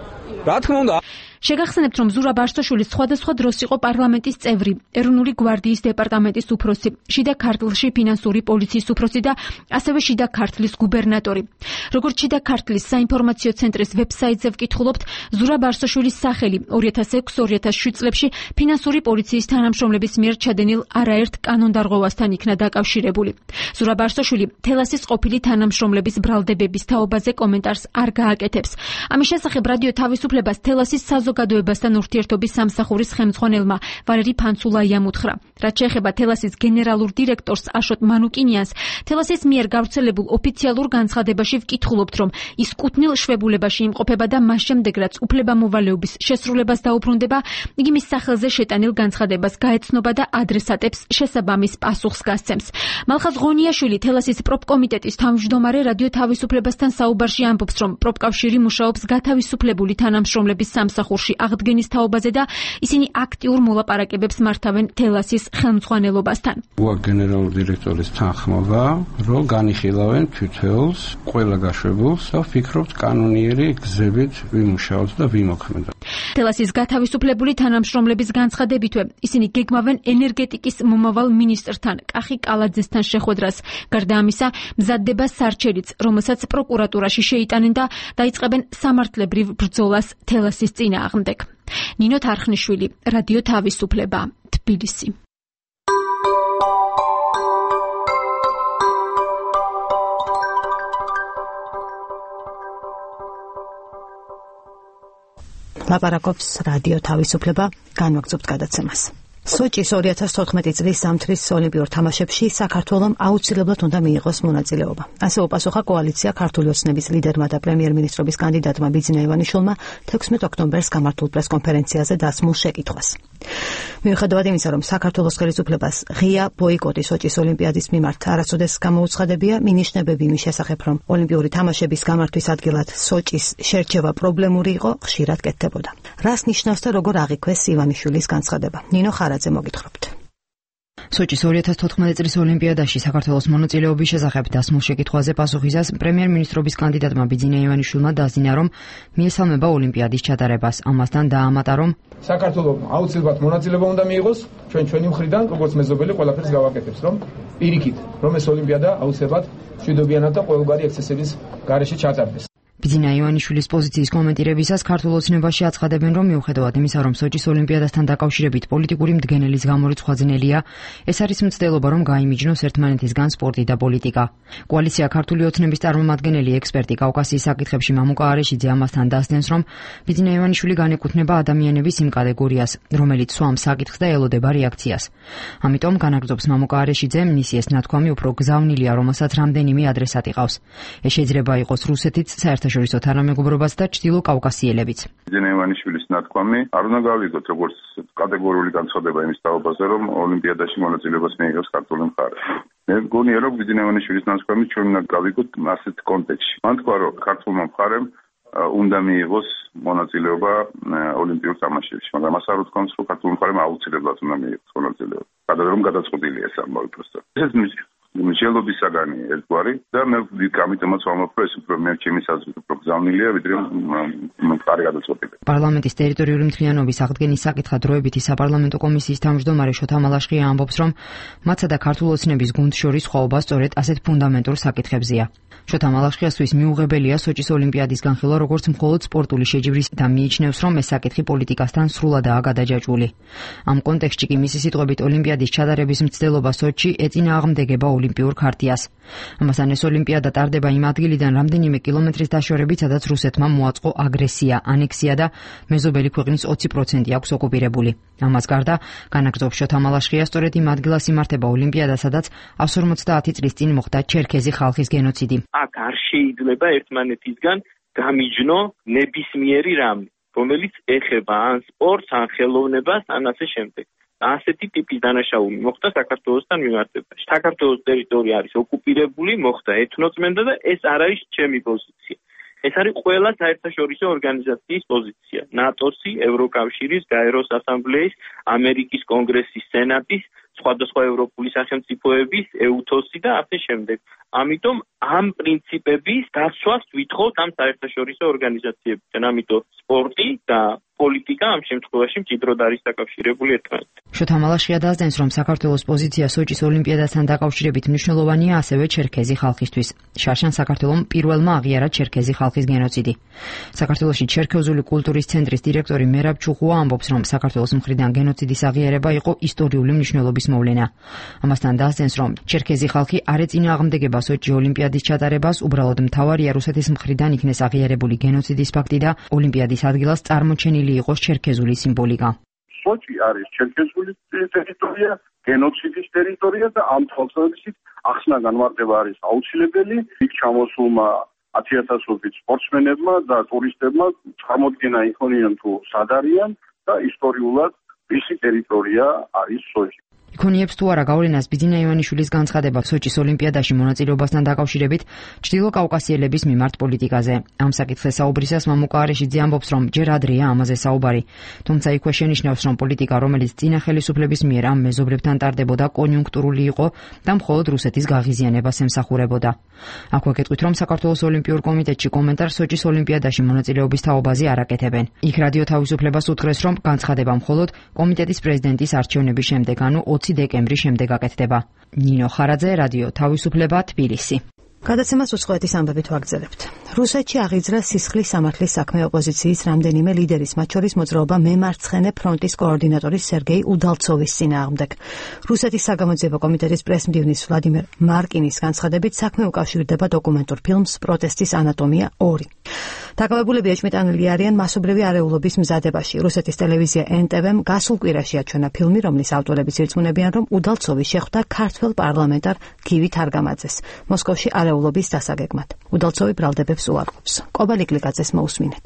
რა თქმა უნდა შეგახსენებთ, რომ ზურაბ არსაშვილის სხვადასხვა დროს იყო პარლამენტის წევრი, ეროვნული გვარდიის დეპარტამენტის უფროსი, შიდა ქართლში ფინანსური პოლიციის უფროსი და ასევე შიდა ქართლის გუბერნატორი. როგორც შიდა ქართლის საინფორმაციო ცენტრის ვებსაიტზე ვკითხულობთ, ზურაბ არსაშვილის სახელი 2006-2007 წლებში ფინანსური პოლიციის თანამშრომლების მიერ ჩადენილ არაერთ კანონდარღვევასთან იქნა დაკავშირებული. ზურაბ არსაშვილი თელასის ყოფილი თანამშრომლების ბრალდებების თაობაზე კომენტარს არ გააკეთებს. ამის შესახებ რადიო თავისუფლებას თელასის საზოგადოებასთან ურთიერთობის სამსახურის ხელმძღვანელმა ვალერი ფანცულაიამ უთხრა. რაც შეეხება თელასის გენერალურ დირექტორს აშოტ მანუკინიანს, თელასის მიერ გავრცელებულ ოფიციალურ განცხადებაში ვკითხულობთ, რომ ის კუთვნილ შვებულებაში იმყოფება და მას შემდეგ, რაც უფლებამოვალეობის შესრულებას დაუბრუნდება, იგი მის სახელზე შეტანილ განცხადებას გაეცნობა და ადრესატებს შესაბამის პასუხს გასცემს. მალხაზ ღონიაშვილი, თელასის პროპკომიტეტის თავმჯდომარე, რადიო თავისუფლებასთან საუბარში ამბობს, რომ პროპკავშირი მუშაობს გათავისუფლებული თანამშრომლების სამსახურში აღდგენის თაობაზე და ისინი აქტიურ მოლაპარაკებებს მართავენ თელასის ხელმძღვანელობასთან. გენერალური დირექტორის თანხმობა, რომ განიხილავენ თითოეულს, ყველა გაშვებულს და ვფიქრობთ კანონიერი გზებით ვიმუშაოთ და ვიმოქმედოთ. თელასის გათავისუფლებული თანამშრომლების განცხადებითვე, ისინი გეგმავენ ენერგეტიკის მომავალ მინისტრთან, კახი კალაძესთან შეხვედრას. გარდა ამისა, მზადდება სარჩელიც, რომელსაც პროკურატურაში შეიტანენ და დაიწყებენ სამართლებრივ ბრძოლას თელასის წინააღმდეგ. ნინო თარხნიშვილი, რადიო თავისუფლება, თბილისი. ლაპარაკობს რადიო თავისუფლება, განვაგრძობთ გადაცემას. სოჭის 2014 წლის ზამთრის ოლიმპიურ თამაშებში საქართველომ აუცილებლად უნდა მიიღოს მონაწილეობა. ასე უპასუხა კოალიცია ქართული ოცნების ლიდერმა და პრემიერ-მინისტრობის კანდიდატმა ბიძინა ივანიშვილმა 16 ოქტომბერს გამართულ პრესკონფერენციაზე დასმულ შეკითხვას. მიუხედავად იმისა, რომ საქართველოს ხელისუფლებას ღია ბოიკოტი სოჭის ოლიმპიადის მიმართ არასოდეს გამოუცხადებია, მინიშნებები იმის შესახებ, რომ ოლიმპიური თამაშების გამართვის ადგილად სოჭის შერჩევა პრობლემური იყო, ხშირად კეთდებოდა. რას ნიშნავს და როგორ აღიქვეს ივანიშვილის განცხადება? ნინო ხარაძე მოგითხრობთ. სოჭის 2014 წლის ოლიმპიადაში საქართველოს მონაწილეობის შესახებ დასმულ შეკითხვაზე პასუხისას პრემიერ-მინისტრობის კანდიდატმა ბიძინა ივანიშვილმა დაძინა, რომ მიესალმება ოლიმპიადის ჩატარებას. ამასთან დაამატა, რომ საქართველოს აუცილებლად მონაწილეობა უნდა მიიღოს, ჩვენი მხრიდან, როგორც მეზობელი, ყველაფერს გავაკეთებს, რომ პირიქით, რომ ეს ოლიმპიადა აუცილებლად მშვიდობიანად და ყოველგვარი ექსცესების გარეშე ჩატარდეს. ბიძინა ივანიშვილის პოზიციის კომენტირებისას ქართულ ოცნებაში აცხადებენ, რომ მიუხედავად იმისა, რომ სოჭის ოლიმპიადასთან დაკავშირებით პოლიტიკური მდგენელის გამორიცხვა ძნელია, ეს არის მცდელობა, რომ გაიმიჯნოს ერთმანეთისგან სპორტი და პოლიტიკა. კოალიცია ქართული ოცნების წარმომადგენელი ექსპერტი კავკასიის საკითხებში მამუკა არეშიძე ამასთან დასდენს, რომ ბიძინა ივანიშვილი განეკუთვნება ადამიანების იმ კატეგორიას, რომელიც სვამს საკითხს და ელოდება რეაქციას. ამიტომ განაგრძობს მამუკა არეშიძე, მისი ეს ნათქვამი უფრო გზავნილია, რომელსაც რამდენიმე ადრესატი ყავს. ეს შეიძლება იყოს რუსეთიც, საერთაშორისო თანამეგობრობაც და ჩრდილო კავკასიელებიც. ბიძინა ივანიშვილის ნათქვამი არ უნდა გავიგოთ როგორც კატეგორიული განცხადება იმის თაობაზე, რომ ოლიმპიადაში მონაწილეობას მიიღებს ქართული მხარე. მე მგონია, რომ ბიძინა ივანიშვილის ნათქვამი ჩვენ უნდა გავიგოთ ასეთ კონტექსტში. მან თქვა, რომ ქართულმა მხარემ უნდა მიიღოს მონაწილეობა ოლიმპიურ თამაშებში, მაგრამ მას არ უთქვამს, რომ ქართული მხარემ აუცილებლად უნდა მიიღოს მონაწილეობა. რომ გადაწყვეტილია ეს ამბავი პროსტა. ეს მსჯელობის საგანი ერთგვარი და მე ამიტომაც ვამბობ, რომ ეს უფრო მე ჩემი საზრით უფრო გზავნილია, ვიდრე მხარი გადაწყვეტილი. პარლამენტის ტერიტორიული მთლიანობის აღდგენის საკითხად დროებითი საპარლამენტო კომისიის თავმჯდომარე შოთა მალაშხია ამბობს, რომ მათსა და ქართულ ოცნების გუნდს შორის სხვაობა სწორედ ასეთ ფუნდამენტურ საკითხებზია. შოთა მალაშხიასთვის მიუღებელია სოჭის ოლიმპიადის განხილვა როგორც მხოლოდ სპორტული შეჯიბრის და მიიჩნევს, რომ ეს საკითხი პოლიტიკასთან სრულადაა გადაჯაჭვული. ამ კონტექსტში კი მისი სიტყვებით ოლიმპიადის ჩატარების მცდელობა სოჭში ეწინააღმდეგება ოლიმპიურ ქარტიას. ამასთან ეს ოლიმპიადა ტარდება იმ ადგილიდან რამდენიმე კილომეტრის დაშორებით, სადაც რუსეთმა მოაწყო აგრესია, ანექსია და მეზობელი ქვეყნის 20% აქვს ოკუპირებული. ამას გარდა, განაგრძობს შოთა მალაშხია, სწორედ იმ ადგილას იმართება ოლიმპიადა, სადაც 150 წლის წინ მოხდა ჩერქეზი ხალხის გენოციდი. აქ არ შეიძლება ერთმანეთისგან გამიჯნო ნებისმიერი რამე, რომელიც ეხება ან სპორტს, ან ხელოვნებას, ან ასე შემდეგ. ასეთი ტიპის დანაშაული მოხდა საქართველოსთან მიმართებაში. საქართველოს ტერიტორია არის ოკუპირებული, მოხდა ეთნოწმენდა და ეს არ არის ჩემი პოზიცია. ეს არის ყველა საერთაშორისო ორგანიზაციის პოზიცია. ნატოსი, ევროკავშირის, გაეროს ასამბლეის, ამერიკის კონგრესის, სენატის სხვადასხვა ევროპული სახელმწიფოების, EUTOS-ი და ასე შემდეგ. ამიტომ ამ პრინციპების დაცვას ვითხოვთ ამ საერთაშორისო ორგანიზაციებთან. ამიტომ სპორტი და პოლიტიკა ამ შემთხვევაში მჭიდროდ არის დაკავშირებული ერთმანეთთან. შოთა მალაშხია დასძენს, რომ საქართველოს პოზიცია სოჭის ოლიმპიადასთან დაკავშირებით მნიშვნელოვანია ასევე ჩერქეზი ხალხისთვის. შარშან საქართველომ პირველმა აღიარა ჩერქეზი ხალხის გენოციდი. საქართველოში ჩერქეზული კულტურის ცენტრის დირექტორი მერაბ ჩუხუა ამბობს, რომ საქართველოს მხრიდან გენოციდის აღიარება იყო ისტორიული მნიშვნელობის მოვლენა. ამასთან დასძენს, რომ ჩერქეზი ხალხი არ ეწინააღმდეგება სოჭი ოლიმპიადის ჩატარებას, უბრალოდ მთავარია რუსეთის მხრიდან იქნეს აღიარებული გენოციდის ფაქტი და ოლიმპიადის ადგილას წარმოჩენილი იყოს ჩერქეზული სიმბოლიკა. სოჭი არის ჩერქეზული ტერიტორია, გენოციდის ტერიტორია და ამ თვალსაზრისით ახსნა განმარტება არის აუცილებელი. იქ ჩამოსულმა 10,000-ობით სპორტსმენებმა და ტურისტებმა წარმოდგენა იქონიონ თუ სად არიან და ისტორიულად ვისი ტერიტორია არის სოჭი. იქონიებს თუ არა გავლენას ბიძინა ივანიშვილის განცხადება სოჭის ოლიმპიადაში მონაწილეობასთან დაკავშირებით ჩრდილო კავკასიელების მიმართ პოლიტიკაზე. ამ საკითხზე საუბრისას მამუკა არეშიძე ამბობს, რომ ჯერ ადრეა ამაზე საუბარი. თუმცა იქვე შენიშნავს, რომ პოლიტიკა, რომელიც წინა ხელისუფლების მიერ ამ მეზობლებთან ტარდებოდა, კონიუნქტურული იყო და მხოლოდ რუსეთის გაღიზიანებას ემსახურებოდა. აქვე გეტყვით, რომ საქართველოს ოლიმპიურ კომიტეტში კომენტარს სოჭის ოლიმპიადაში მონაწილეობის თაობაზე არ აკეთებენ. იქ რადიო თავისუფლებას უთხრეს, რომ განცხადება მხოლოდ კომიტეტის პრეზიდენტის არჩევნების შემდეგ, ანუ 20 დეკემბრის შემდეგ აკეთდება. ნინო ხარაძე, რადიო თავისუფლება, თბილისი. გადაცემას უცხოეთის ამბებით ვაგრძელებთ. რუსეთში აღიძრა სისხლის სამართლის საქმე ოპოზიციის რამდენიმე ლიდერის, მათ შორის მოძრაობა მემარცხენე ფრონტის კოორდინატორის სერგეი უდალცოვის წინააღმდეგ. რუსეთის საგამოძიებო კომიტეტის პრესმდივნის ვლადიმერ მარკინის განცხადებით საქმე უკავშირდება დოკუმენტურ ფილმს პროტესტის ანატომია 2. დაკავებულები ეჭვმიტანილი არიან მასობრივი არეულობის მზადებაში. რუსეთის ტელევიზია NTV-მ გასულ კვირაში აჩვენა ფილმი, რომლის ავტორებიც ირწმუნებიან, რომ უდალცოვი შეხვდა ქართველ პარლამენტარ გივი თარგამაძეს მოსკოვში არეულობის დასაგეგმად. უდალცოვი ბრალდებებს უარყოფს. კობალი კლიკაძეს მოусმინეთ.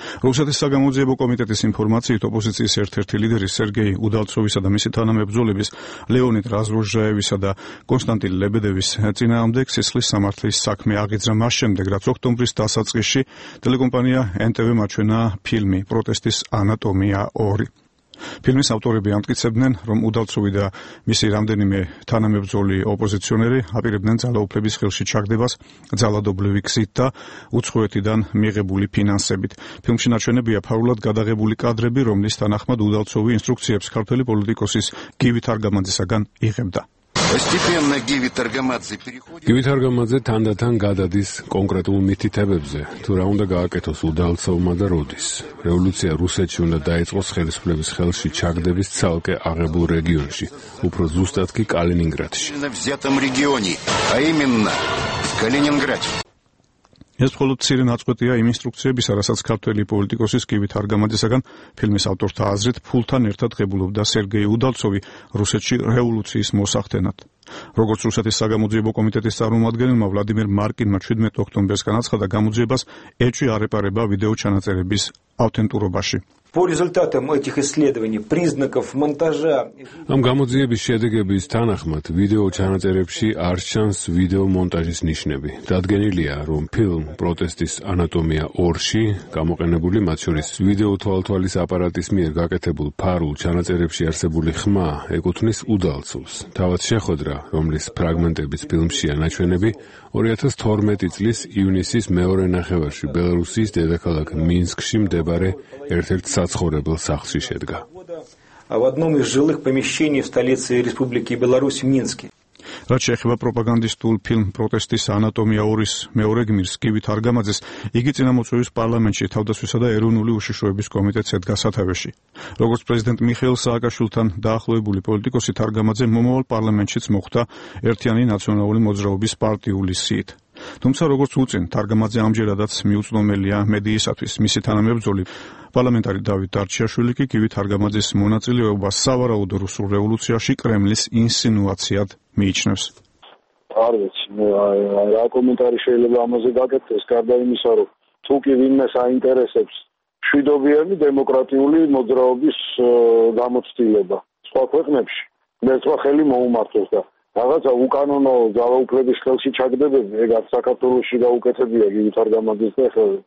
რუსეთის საგამოძიებო კომიტეტის ინფორმაციით ოპოზიციის ერთ-ერთი ლიდერი სერგეი უდალცოვისა და მისი თანამებრძოლების ლეონიდ რაზროჟაევისა და კონსტანტინ ლებედევის წინააღმდეგ სისხლის სამართლის საქმე აღიძრა მას შემდეგ, რაც ოქტომბრის დასაწყისში ტელეკომპანია NTV-მ აჩვენა ფილმი პროტესტის ანატომია 2. ფილმის ავტორები ამტკიცებდნენ, რომ უდალცოვი და მისი რამდენიმე თანამებრძოლი ოპოზიციონერი აპირებდნენ ძალაუფლების ხელში ჩაგდებას ძალადობრივი გზით და უცხოეთიდან მიღებული ფინანსებით. ფილმში ნაჩვენებია ფარულად გადაღებული კადრები, რომლის თანახმად უდალცოვი ინსტრუქციებს ქართველი პოლიტიკოსის გივი თარგამაძისაგან იღებდა. გივი თარგამაძე თანდათან გადადის კონკრეტულ მითითებებზე, თუ რა უნდა გააკეთოს უდალცოვმა და როდის. რევოლუცია რუსეთში უნდა დაიწყოს ხელისუფლების ხელში ჩაგდების ცალკე აღებულ რეგიონში, უფრო ზუსტად კი კალინინგრადში. ეს მხოლოდ მცირე ნაწყვეტია იმ ინსტრუქციებისა, რასაც ქართველი პოლიტიკოსის გივი თარგამაძისაგან ფილმის ავტორთა აზრით ფულთან ერთად ღებულობდა სერგეი უდალცოვი რუსეთში რევოლუციის მოსახდენად. როგორც რუსეთის საგამოძიებო კომიტეტის წარმომადგენელმა ვლადიმერ მარკინმა 17 ოქტომბერს განაცხადა, გამოძიებას ეჭვი არ ეპარება ვიდეო ჩანაწერების ავთენტურობაში. По результатам этих исследований признаков монтажа ამ გამოძიების შედეგების თანახმად ვიდეო ჩანაწერებში არ ჩანს ვიდეო მონტაჟის ნიშნები. დადგენილია, რომ ფილმ პროტესტის ანატომია 2-ში გამოყენებული, მათ შორის ვიდეო თვალთვალის აპარატის მიერ გაკეთებულ ფარულ ჩანაწერებში არსებული ხმა ეკუთვნის უდალცოვს. თავად შეხვედრა, რომლის ფრაგმენტებიც ფილმშია ნაჩვენები, 2012 წლის ივნისის მეორე ნახევარში ბელარუსის დედაქალაქ მინსკში მდებარე ერთ-ერთ საცხოვრებელ სახლში შედგა. В одном из жилых помещений в столице Республики Беларусь в Минске. რაც შეეხება პროპაგანდისტულ ფილმ პროტესტის ანატომია 2-ის მეორე გმირს გივი თარგამაძეს, იგი წინამოწვევის პარლამენტში თავდაცვისა და ეროვნული უშიშროების კომიტეტს ედგა სათავეში. როგორც პრეზიდენტ მიხეილ სააკაშვილთან დაახლოებული პოლიტიკოსი თარგამაძე მომავალ პარლამენტშიც მოხვდა ერთიანი ნაციონალური მოძრაობის პარტიული სიით. თუმცა როგორც უწინ, თარგამაძე ამჯერადაც მიუწვდომელია მედიისათვის. მისი თანამებრძოლი პარლამენტარი დავით დარჩიაშვილი კი გივი თარგამაძის მონაწილეობას სავარაუდო რუსულ რევოლუციაში კრემლის ინსინუაციად მიიჩნევს. არ ვიცი, რა კომენტარი შეიძლება ამაზე გაკეთდეს, გარდა იმისა, რომ თუ კი ვინმეს აინტერესებს მშვიდობიანი დემოკრატიული მოძრაობის გამოცდილება სხვა ქვეყნებში, მეცვა ხელი მოუმართოს და რაღაცა უკანონო ძალაუფლების ხელში ჩაგდებები, ეგ საქართველოში გაუკეთებია გივი თარგამაძის და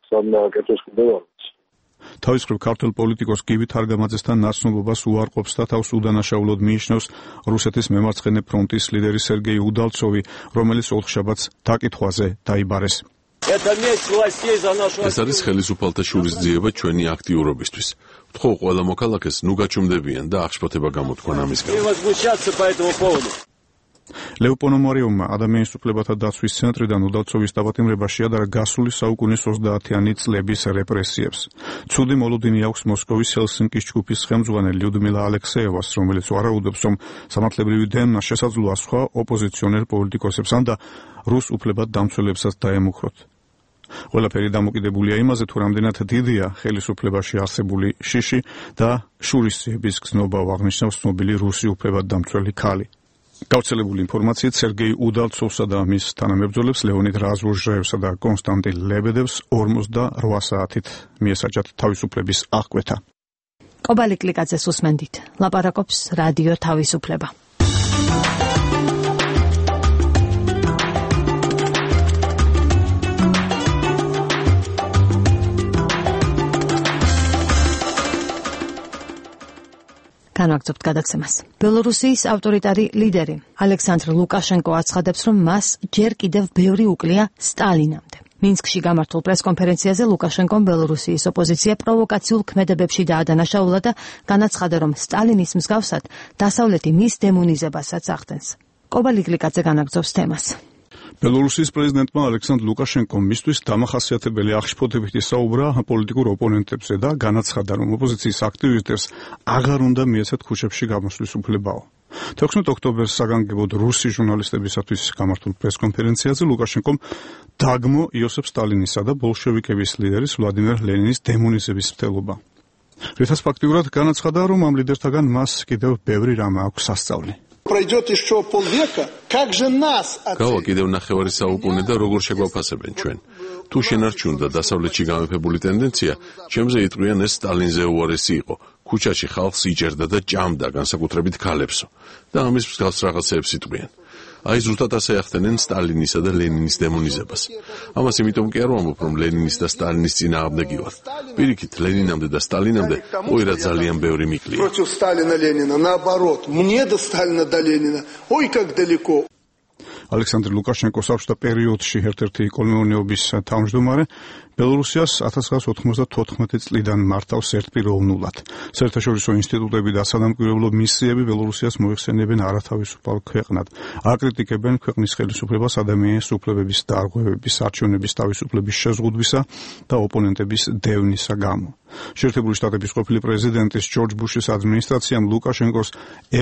სამ დააკეთოს კიდევ. თავის მხრივ ქართველ პოლიტიკოს გივი თარგამაძესთან ნაცნობობას უარყოფს და თავს უდანაშაულოდ მიიჩნევს რუსეთის მემარცხენე ფრონტის ლიდერი სერგეი უდალცოვი, რომელიც ოთხშაბათს დაკითხვაზე დაიბარეს. ეს არის ხელისუფალთა შურისძიება ჩვენი აქტიურობისთვის. ვთხოვ ყველა მოქალაქეს ნუ გაჩუმდებიან და აღშფოთება გამოთქვან ამის გამო. ლევ პონომარიოვმა ადამიანის უფლებათა დაცვის ცენტრიდან უდალცოვის დაპატიმრება შეადარა გასული საუკუნის 30-იანი წლების რეპრესიებს. ცუდი მოლოდინი აქვს მოსკოვის ჰელსინკის ჯგუფის ხელმძღვანელ ლიუდმილა ალექსეევას, რომელიც ვარაუდობს, რომ სამართლებრივი დევნა შესაძლოა სხვა ოპოზიციონერ პოლიტიკოსებსა და რუს უფლებად დამცველებსაც დაემუქროთ. ყველაფერი დამოკიდებულია იმაზე, თუ რამდენად დიდია ხელისუფლებაში არსებული შიში და შურისძიების გზნობა აღნიშნავს ცნობილი რუსი უფლებად დამცველი ქალი. გავრცელებული ინფორმაციით სერგეი უდალცოვსა და მის თანამებრძოლებს ლეონიდ რაზვოჟრაევსა და კონსტანტინ ლებედევს 48 საათით მიესაჯათ თავისუფლების აღკვეთა. კობალი კლიკაძეს უსმენდით. ლაპარაკობს რადიო თავისუფლება. განვაგრძობთ გადაცემას. ბელორუსიის ავტორიტარი ლიდერი ალექსანდრ ლუკაშენკო აცხადებს, რომ მას ჯერ კიდევ ბევრი უკლია სტალინამდე. მინსკში გამართულ პრესკონფერენციაზე ლუკაშენკომ ბელორუსიის ოპოზიცია პროვოკაციულ ქმედებებში დაადანაშაულა და განაცხადა, რომ სტალინის მსგავსად დასავლეთი მის დემონიზებასაც ახდენს. კობალი კლიკაძე განაგრძობს თემას. ბელორუსიის პრეზიდენტმა ალექსანდრ ლუკაშენკომ მისთვის დამახასიათებელი აღშფოთებით ისაუბრა პოლიტიკურ ოპონენტებზე და განაცხადა, რომ ოპოზიციის აქტივისტებს აღარ უნდა მიეცათ ქუჩებში გამოსვლის უფლებაო. 16 ოქტომბერს საგანგებოდ რუსი ჟურნალისტებისათვის გამართულ პრესკონფერენციაზე ლუკაშენკომ დაგმო იოსებ სტალინისა და ბოლშევიკების ლიდერის ვლადიმერ ლენინის დემონიზების მცდელობა. რითაც ფაქტიურად განაცხადა, რომ ამ ლიდერთაგან მას კიდევ ბევრი რამ აქვს სასწავლი. Пройдет еще полвека, как же нас გავა კიდევ ნახევარი საუკუნე და როგორ შეგვაფასებენ ჩვენ. თუ შენარჩუნდა დასავლეთში გამეფებული ტენდენცია, ჩემზე იტყვიან ეს სტალინზე უარესი იყო. ქუჩაში ხალხს იჭერდა და ჭამდა, განსაკუთრებით ქალებსო. და ამის მსგავს რაღაცეებს იტყვიან. აი ზუსტად ასე ახდენენ სტალინისა და ლენინის დემონიზებას. ამას იმიტომ კი არ ვამბობ, რომ ლენინის და სტალინის წინააღმდეგი ვარ. პირიქით, ლენინამდე და სტალინამდე ოირად ძალიან ბევრი მიკლია. Против Сталина, Ленина, наоборот. Мне до Сталина, до Ленина. Ой, как далеко. ალექსანდრ ლუკაშენკოს საბჭოთა პერიოდში ერთ-ერთი კოლმეურნეობის თავმჯდომარე ბელორუსიას 1994 წლიდან მართავს ერთპიროვნულად. საერთაშორისო ინსტიტუტები და სადამკვირვებლო მისიები ბელორუსიას მოიხსენებენ არათავისუფალ ქვეყნად. აკრიტიკებენ ქვეყნის ხელისუფლებას ადამიანის უფლებების დარღვევების, არჩევნების თავისუფლების შეზღუდვისა და ოპონენტების დევნისა გამო. შეერთებული შტატების ყოფილი პრეზიდენტის ჯორჯ ბუშის ადმინისტრაციამ ლუკაშენკოს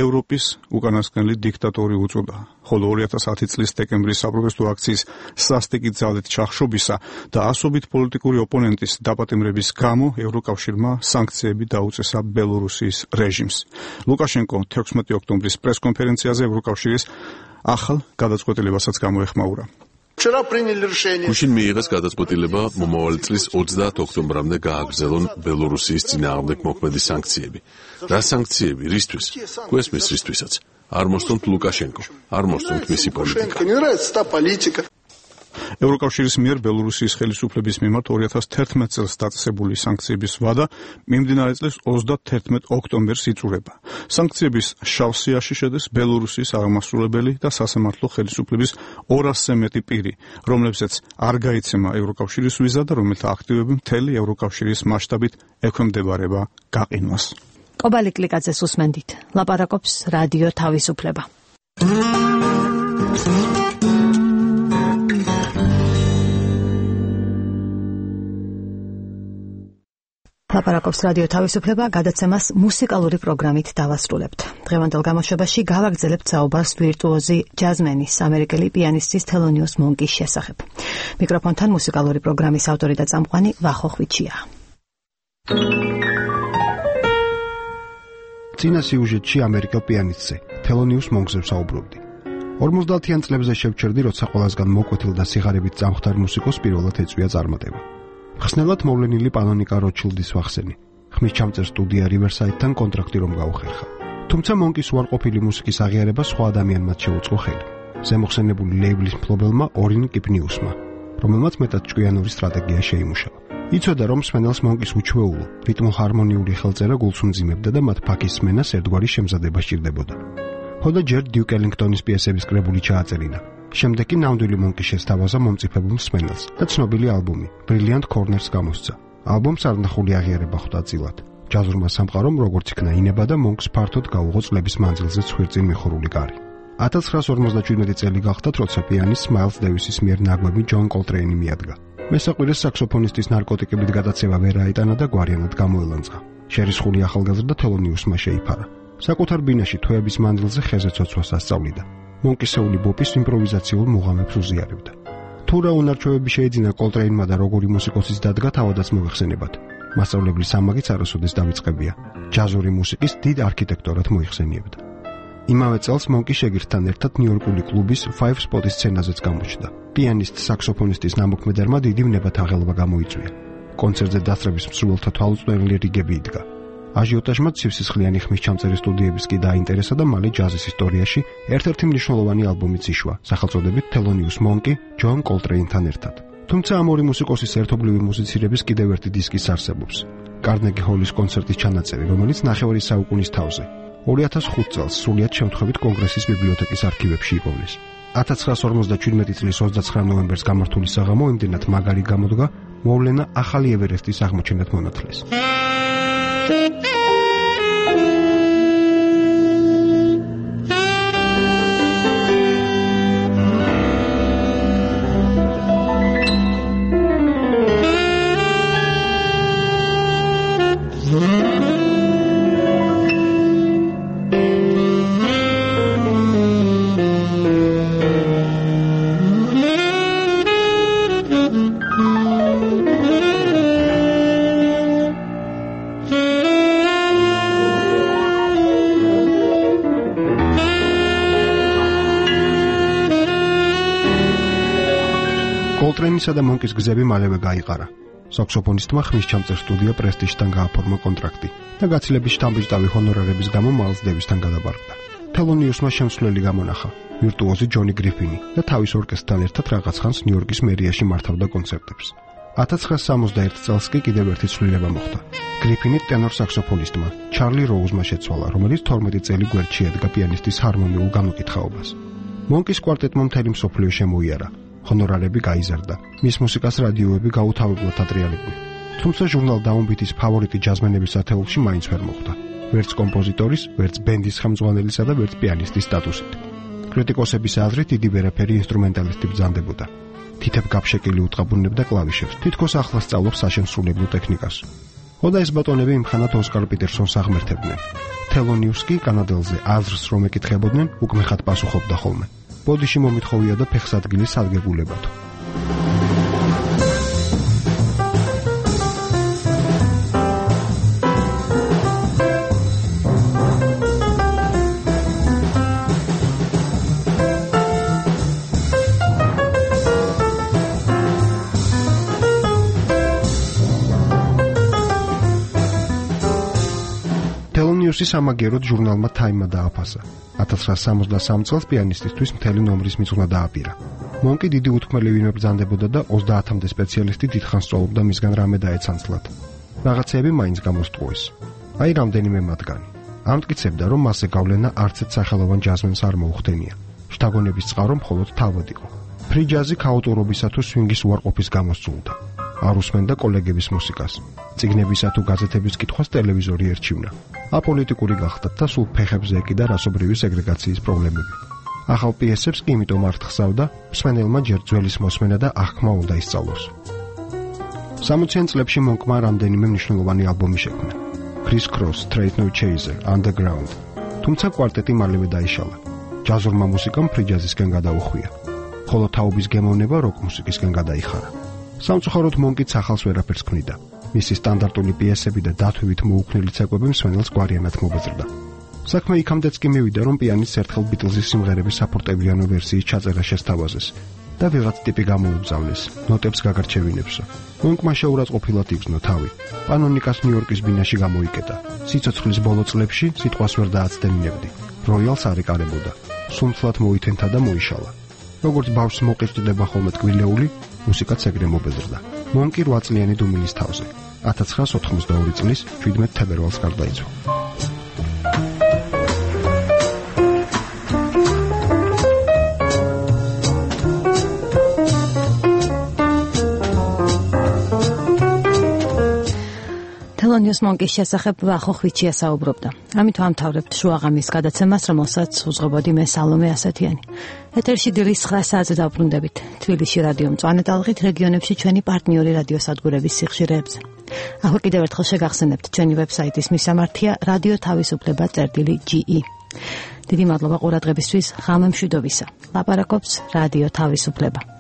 ევროპის უკანასკნელი დიქტატორი უწოდა, ხოლო 2010 წლის დეკემბრის საპროტესტო აქციის სასტიკი ძალით ჩახშობისა და ასობით პოლიტიკური ოპონენტის დაპატიმრების გამო ევროკავშირმა სანქციები დაუწესა ბელორუსიის რეჟიმს. ლუკაშენკო 16 ოქტომბრის პრესკონფერენციაზე ევროკავშირის ახალ გადაწყვეტილებასაც გამოეხმაურა. გუშინ მიიღეს გადაწყვეტილება მომავალი წლის 30 ოქტომბრამდე გააგრძელონ ბელორუსიის წინააღმდეგ მოქმედი სანქციები. რა სანქციები? რისთვის? გვესმის რისთვისაც. არ მოსწონთ ლუკაშენკო, არ მოსწონთ მისი პოლიტიკა. ევროკავშირის მიერ ბელორუსიის ხელისუფლების მიმართ 2011 წელს დაწესებული სანქციების ვადა მიმდინარე წლის 31 ოქტომბერს იწურება. სანქციების შავ სიაში შედის ბელორუსიის აღმასრულებელი და სასამართლო ხელისუფლების 200-ზე მეტი პირი, რომლებსაც არ გაიცემა ევროკავშირის ვიზა და რომელთა აქტივები მთელი ევროკავშირის მასშტაბით ექვემდებარება გაყინვას. კობალი კლიკაძეს უსმენდით. ლაპარაკობს რადიო თავისუფლება. ლაპარაკობს რადიო თავისუფლება, გადაცემას მუსიკალური პროგრამით დავასრულებთ. დღევანდელ გამოშვებაში გავაგრძელებთ საუბარს ვირტუოზი ჯაზმენის ამერიკელი პიანისტის თელონიუს მონკის შესახებ. მიკროფონთან მუსიკალური პროგრამის ავტორი და წამყვანი ვახო ხვიჩია. წინა სიუჟეტში ამერიკელ პიანისტზე, თელონიუს მონკზე ვსაუბრობდი. 50-იან წლებზე შევჩერდი, როცა ყველასგან მოკვეთილ და სიღარებით წამხდარ მუსიკოს პირველად ეწვია წარმატება. ხსნელად მოვლენილი პანონიკა როჩილდის ვახსენი. ხმის ჩამწერ სტუდია რივერსაიდთან კონტრაქტი რომ გაუხერხა. თუმცა მონკის უარყოფილი მუსიკის აღიარება სხვა ადამიანმაც შეუწყო ხელი. ზემოხსენებული ლეიბლის მფლობელმა ორინ კიპნიუსმა, რომელმაც მეტად ჭკვიანური სტრატეგია შეიმუშავა. იცოდა, რომ მსმენელს მონკის უჩვეულო, რიტმო-ჰარმონიული ხელწერა გულს უმძიმებდა და მათ ფაქის სმენას ერთგვარი შემზადება სჭირდებოდა. ხოდა ჯერ დიუკ ელინგტონის პიესების კრებული ჩააწერინა. შემდეგ კი ნამდვილი მონკი შესთავაზა მომწიფებულ მსმენელს და ცნობილი ალბომი Brilliant Corners გამოსცა. ალბომს არნახული აღიარება ხვდა წილად. ჯაზურმა სამყარომ როგორც იქნა ინება და მონკს ფართოდ გაუღო წლების მანძილზე ცხვირწინ მიხურული კარი. 1957 წელი გახდათ, როცა პიანისტ მაილს დევისის მიერ ნაგვები ჯონ კოლტრეინი მიადგა. მესაყვირეს საქსოფონისტის ნარკოტიკებით გადაცევა ვერ აიტანა და გვარიანად გამოელანძღა. შერისხული ახალგაზრდა თელონიუსმა შეიფარა. საკუთარ ბინაში თვეების მანძილზე ხეზე ცოცვას ასწავლიდა. მონკისეული ბოპის იმპროვიზაციულ მუღამებს უზიარებდა. თუ რა უნარჩვევები შეეძინა კოლტრეინმა და როგორი მუსიკოსის დადგა თავადაც მოიხსენებათ. მასწავლებლის ამაგიც არასოდეს დავიწყებია. ჯაზური მუსიკის დიდ არქიტექტორად მოიხსენიებდა. იმავე წელს მონკი შეგირდთან ერთად ნიუ-იორკული კლუბის Five Spot-ის სცენაზეც გამოჩნდა. პიანისტ საქსოფონისტის ნამოქმედარმა დიდი ვნებათაღელვა გამოიწვია. კონცერტზე დასწრების მსურველთა თვალუწვდენელი რიგები იდგა. აჟიოტაჟმა ცივსისხლიანი ხმის ჩამწერი სტუდიების კი დაინტერესა და მალე ჯაზის ისტორიაში ერთ-ერთი მნიშვნელოვანი ალბომიც იშვა, სახელწოდებით Thelonious Monk ჯონ კოლტრეინთან ერთად. თუმცა ამ ორი მუსიკოსის ერთობლივი მუსიცირების კიდევ ერთი დისკიც არსებობს. კარნეგი ჰოლის კონცერტის ჩანაწერი, რომელიც ნახევარი საუკუნის თავზე 2005 წელს სრულიად შემთხვევით კონგრესის ბიბლიოთეკის არქივებში იპოვნეს. 1957 წლის 29 ნოემბერს გამართული საღამო იმდენად მაგარი გამოდგა, მოვლენა ახალი ევერესტის აღმოჩენად მონათლეს. კოლტრეინისა და მონკის გზები მალევე გაიყარა. საქსოფონისტმა ხმის ჩამწერ სტუდია პრესტიჟთან გააფორმა კონტრაქტი და გაცილების შთამბეჭდავი ჰონორარების გამო მაილს დევისთან გადაბარგდა. თელონიუსმა შემსვლელი გამონახა, ვირტუოზი ჯონი გრიფინი და თავის ორკესტრთან ერთად რაღაც ხანს ნიუ-იორკის მერიაში მართავდა კონცერტებს. 1961 წელს კი კიდევ ერთი ცვლილება მოხდა. გრიფინი ტენორ საქსოფონისტმა ჩარლი როუზმა შეცვალა, რომელიც 12 წელი გვერდში ედგა პიანისტის ჰარმონიულ განუკითხაობას. მონკის კვარტეტმა მთელი მსოფლიო შემოიარა. ჰონორარები გაიზარდა. მის მუსიკას რადიოები გაუთავებლად ატრიალებდნენ. თუმცა ჟურნალ დაუნბიტის ფავორიტი ჯაზმენების ათეულში მაინც ვერ მოხვდა. ვერც კომპოზიტორის, ვერც ბენდის ხელმძღვანელისა და ვერც პიანისტის სტატუსით. კრიტიკოსების აზრით დიდი ვერაფერი ინსტრუმენტალისტი ბრძანდებოდა. თითებ გაფშეკილი უტყაბუნებდა კლავიშებს, თითქოს ახლა სწავლობს საშემსრულებლო ტექნიკას. ხოდა ეს ბატონები იმხანად ოსკარ პიტერსონს აღმერთებდნენ. თელონიუს კი კანადელზე აზრს რომ ეკითხებოდნენ, უკმეხად პასუხობდა ხოლმე. ბოდიში მომითხოვია და ფეხსადგილი სადგებულებათო. თელონიუსი სამაგიეროდ ჟურნალმა Time-მა დააფასა. 1963 წელს პიანისტისთვის მთელი ნომრის მიწვნა დააპირა. მონკი დიდი უთქმელივინმე ბრძანდებოდა და 30-მდე სპეციალისტი დიდხანს სწავლობდა მისგან რამე დაეცანცლად. რაღაცეები მაინც გამოსტყუეს. აი რამდენიმე მათგანი. ამტკიცებდა, რომ მასზე გავლენა არცეთ სახელოვან ჯაზმენს არ მოუხდენია. შთაგონების წყარო მხოლოდ თავად იყო. ფრი ჯაზი ქაოტურობისა თუ სვინგის უარყოფის გამოსწულდა. არ უსმენდა კოლეგების მუსიკას. წიგნებისა თუ გაზეთების კითხვას ტელევიზორი ერჩივნა. აპოლიტიკური გახდათ და სულ ფეხებზე ეკიდა რასობრივი სეგრეგაციის პრობლემები. ახალ პიესებს კი იმიტომ არ თხზავდა, მსმენელმა ჯერ ძველის მოსმენა და აღქმა უნდა ისწავლოს. 60-იან წლებში მონკმა რამდენიმე მნიშვნელოვანი ალბომი შექმნა. Criss Cross, Straight No Chaser, Underground. თუმცა კვარტეტი მალევე დაიშალა. ჯაზურმა მუსიკამ ფრი ჯაზისკენ გადაუხვია. ხოლო თაობის გემოვნება როკ მუსიკისკენ გადაიხარა. სამწუხაროდ მონკიც ახალს ვერაფერს ქმნიდა. მისი სტანდარტული პიესები და დათვივით მოუქნელი ცეკვები მსმენელს გვარიანად მობეზრდა. საქმე იქამდეც კი მივიდა, რომ პიანისტს ერთხელ ბიტლზის სიმღერების საფორტეპიანო ვერსიის ჩაწერა შესთავაზეს და ვიღაც ტიპი გამოუგზავნეს, ნოტებს გაგარჩევინებსო. მონკმა შეურაცხყოფილად იგრძნო თავი. პანონიკას ნიუ-იორკის ბინაში გამოიკეტა. სიცოცხლის ბოლო წლებში სიტყვას ვერ დააცდენინებდი. როიალს არ ეკარებოდა. სუმცლად მოითენთა და მოიშალა. როგორც ბავშვს მოყიჭდება ხოლმე ტკბილეული, მუსიკაც ეგრე მობეზრდა. მონკი 8 წლიანი დუმილის თავზე. 1992 წლის 17 თებერვალს გარდაიცვალა. თელონიუს მონკის შესახებ ვახო ხვიჩია საუბრობდა. ამით ვამთავრებთ შუაღამის გადაცემას, რომელსაც უძღვებოდი მე სალომე ასათიანი. ეთერში დილის 9 საათზე დავბრუნდებით. თბილისში რადიო მწვანე ტალღით, რეგიონებში ჩვენი პარტნიორი რადიოსადგურების სიხშირეებზე. ახლა კიდევ ერთხელ შეგახსენებთ ჩვენი ვებსაიტის მისამართია radio.თავისუფლება.ge. დიდი მადლობა ყურადღებისთვის. ღამე მშვიდობისა. ლაპარაკობს რადიო თავისუფლება.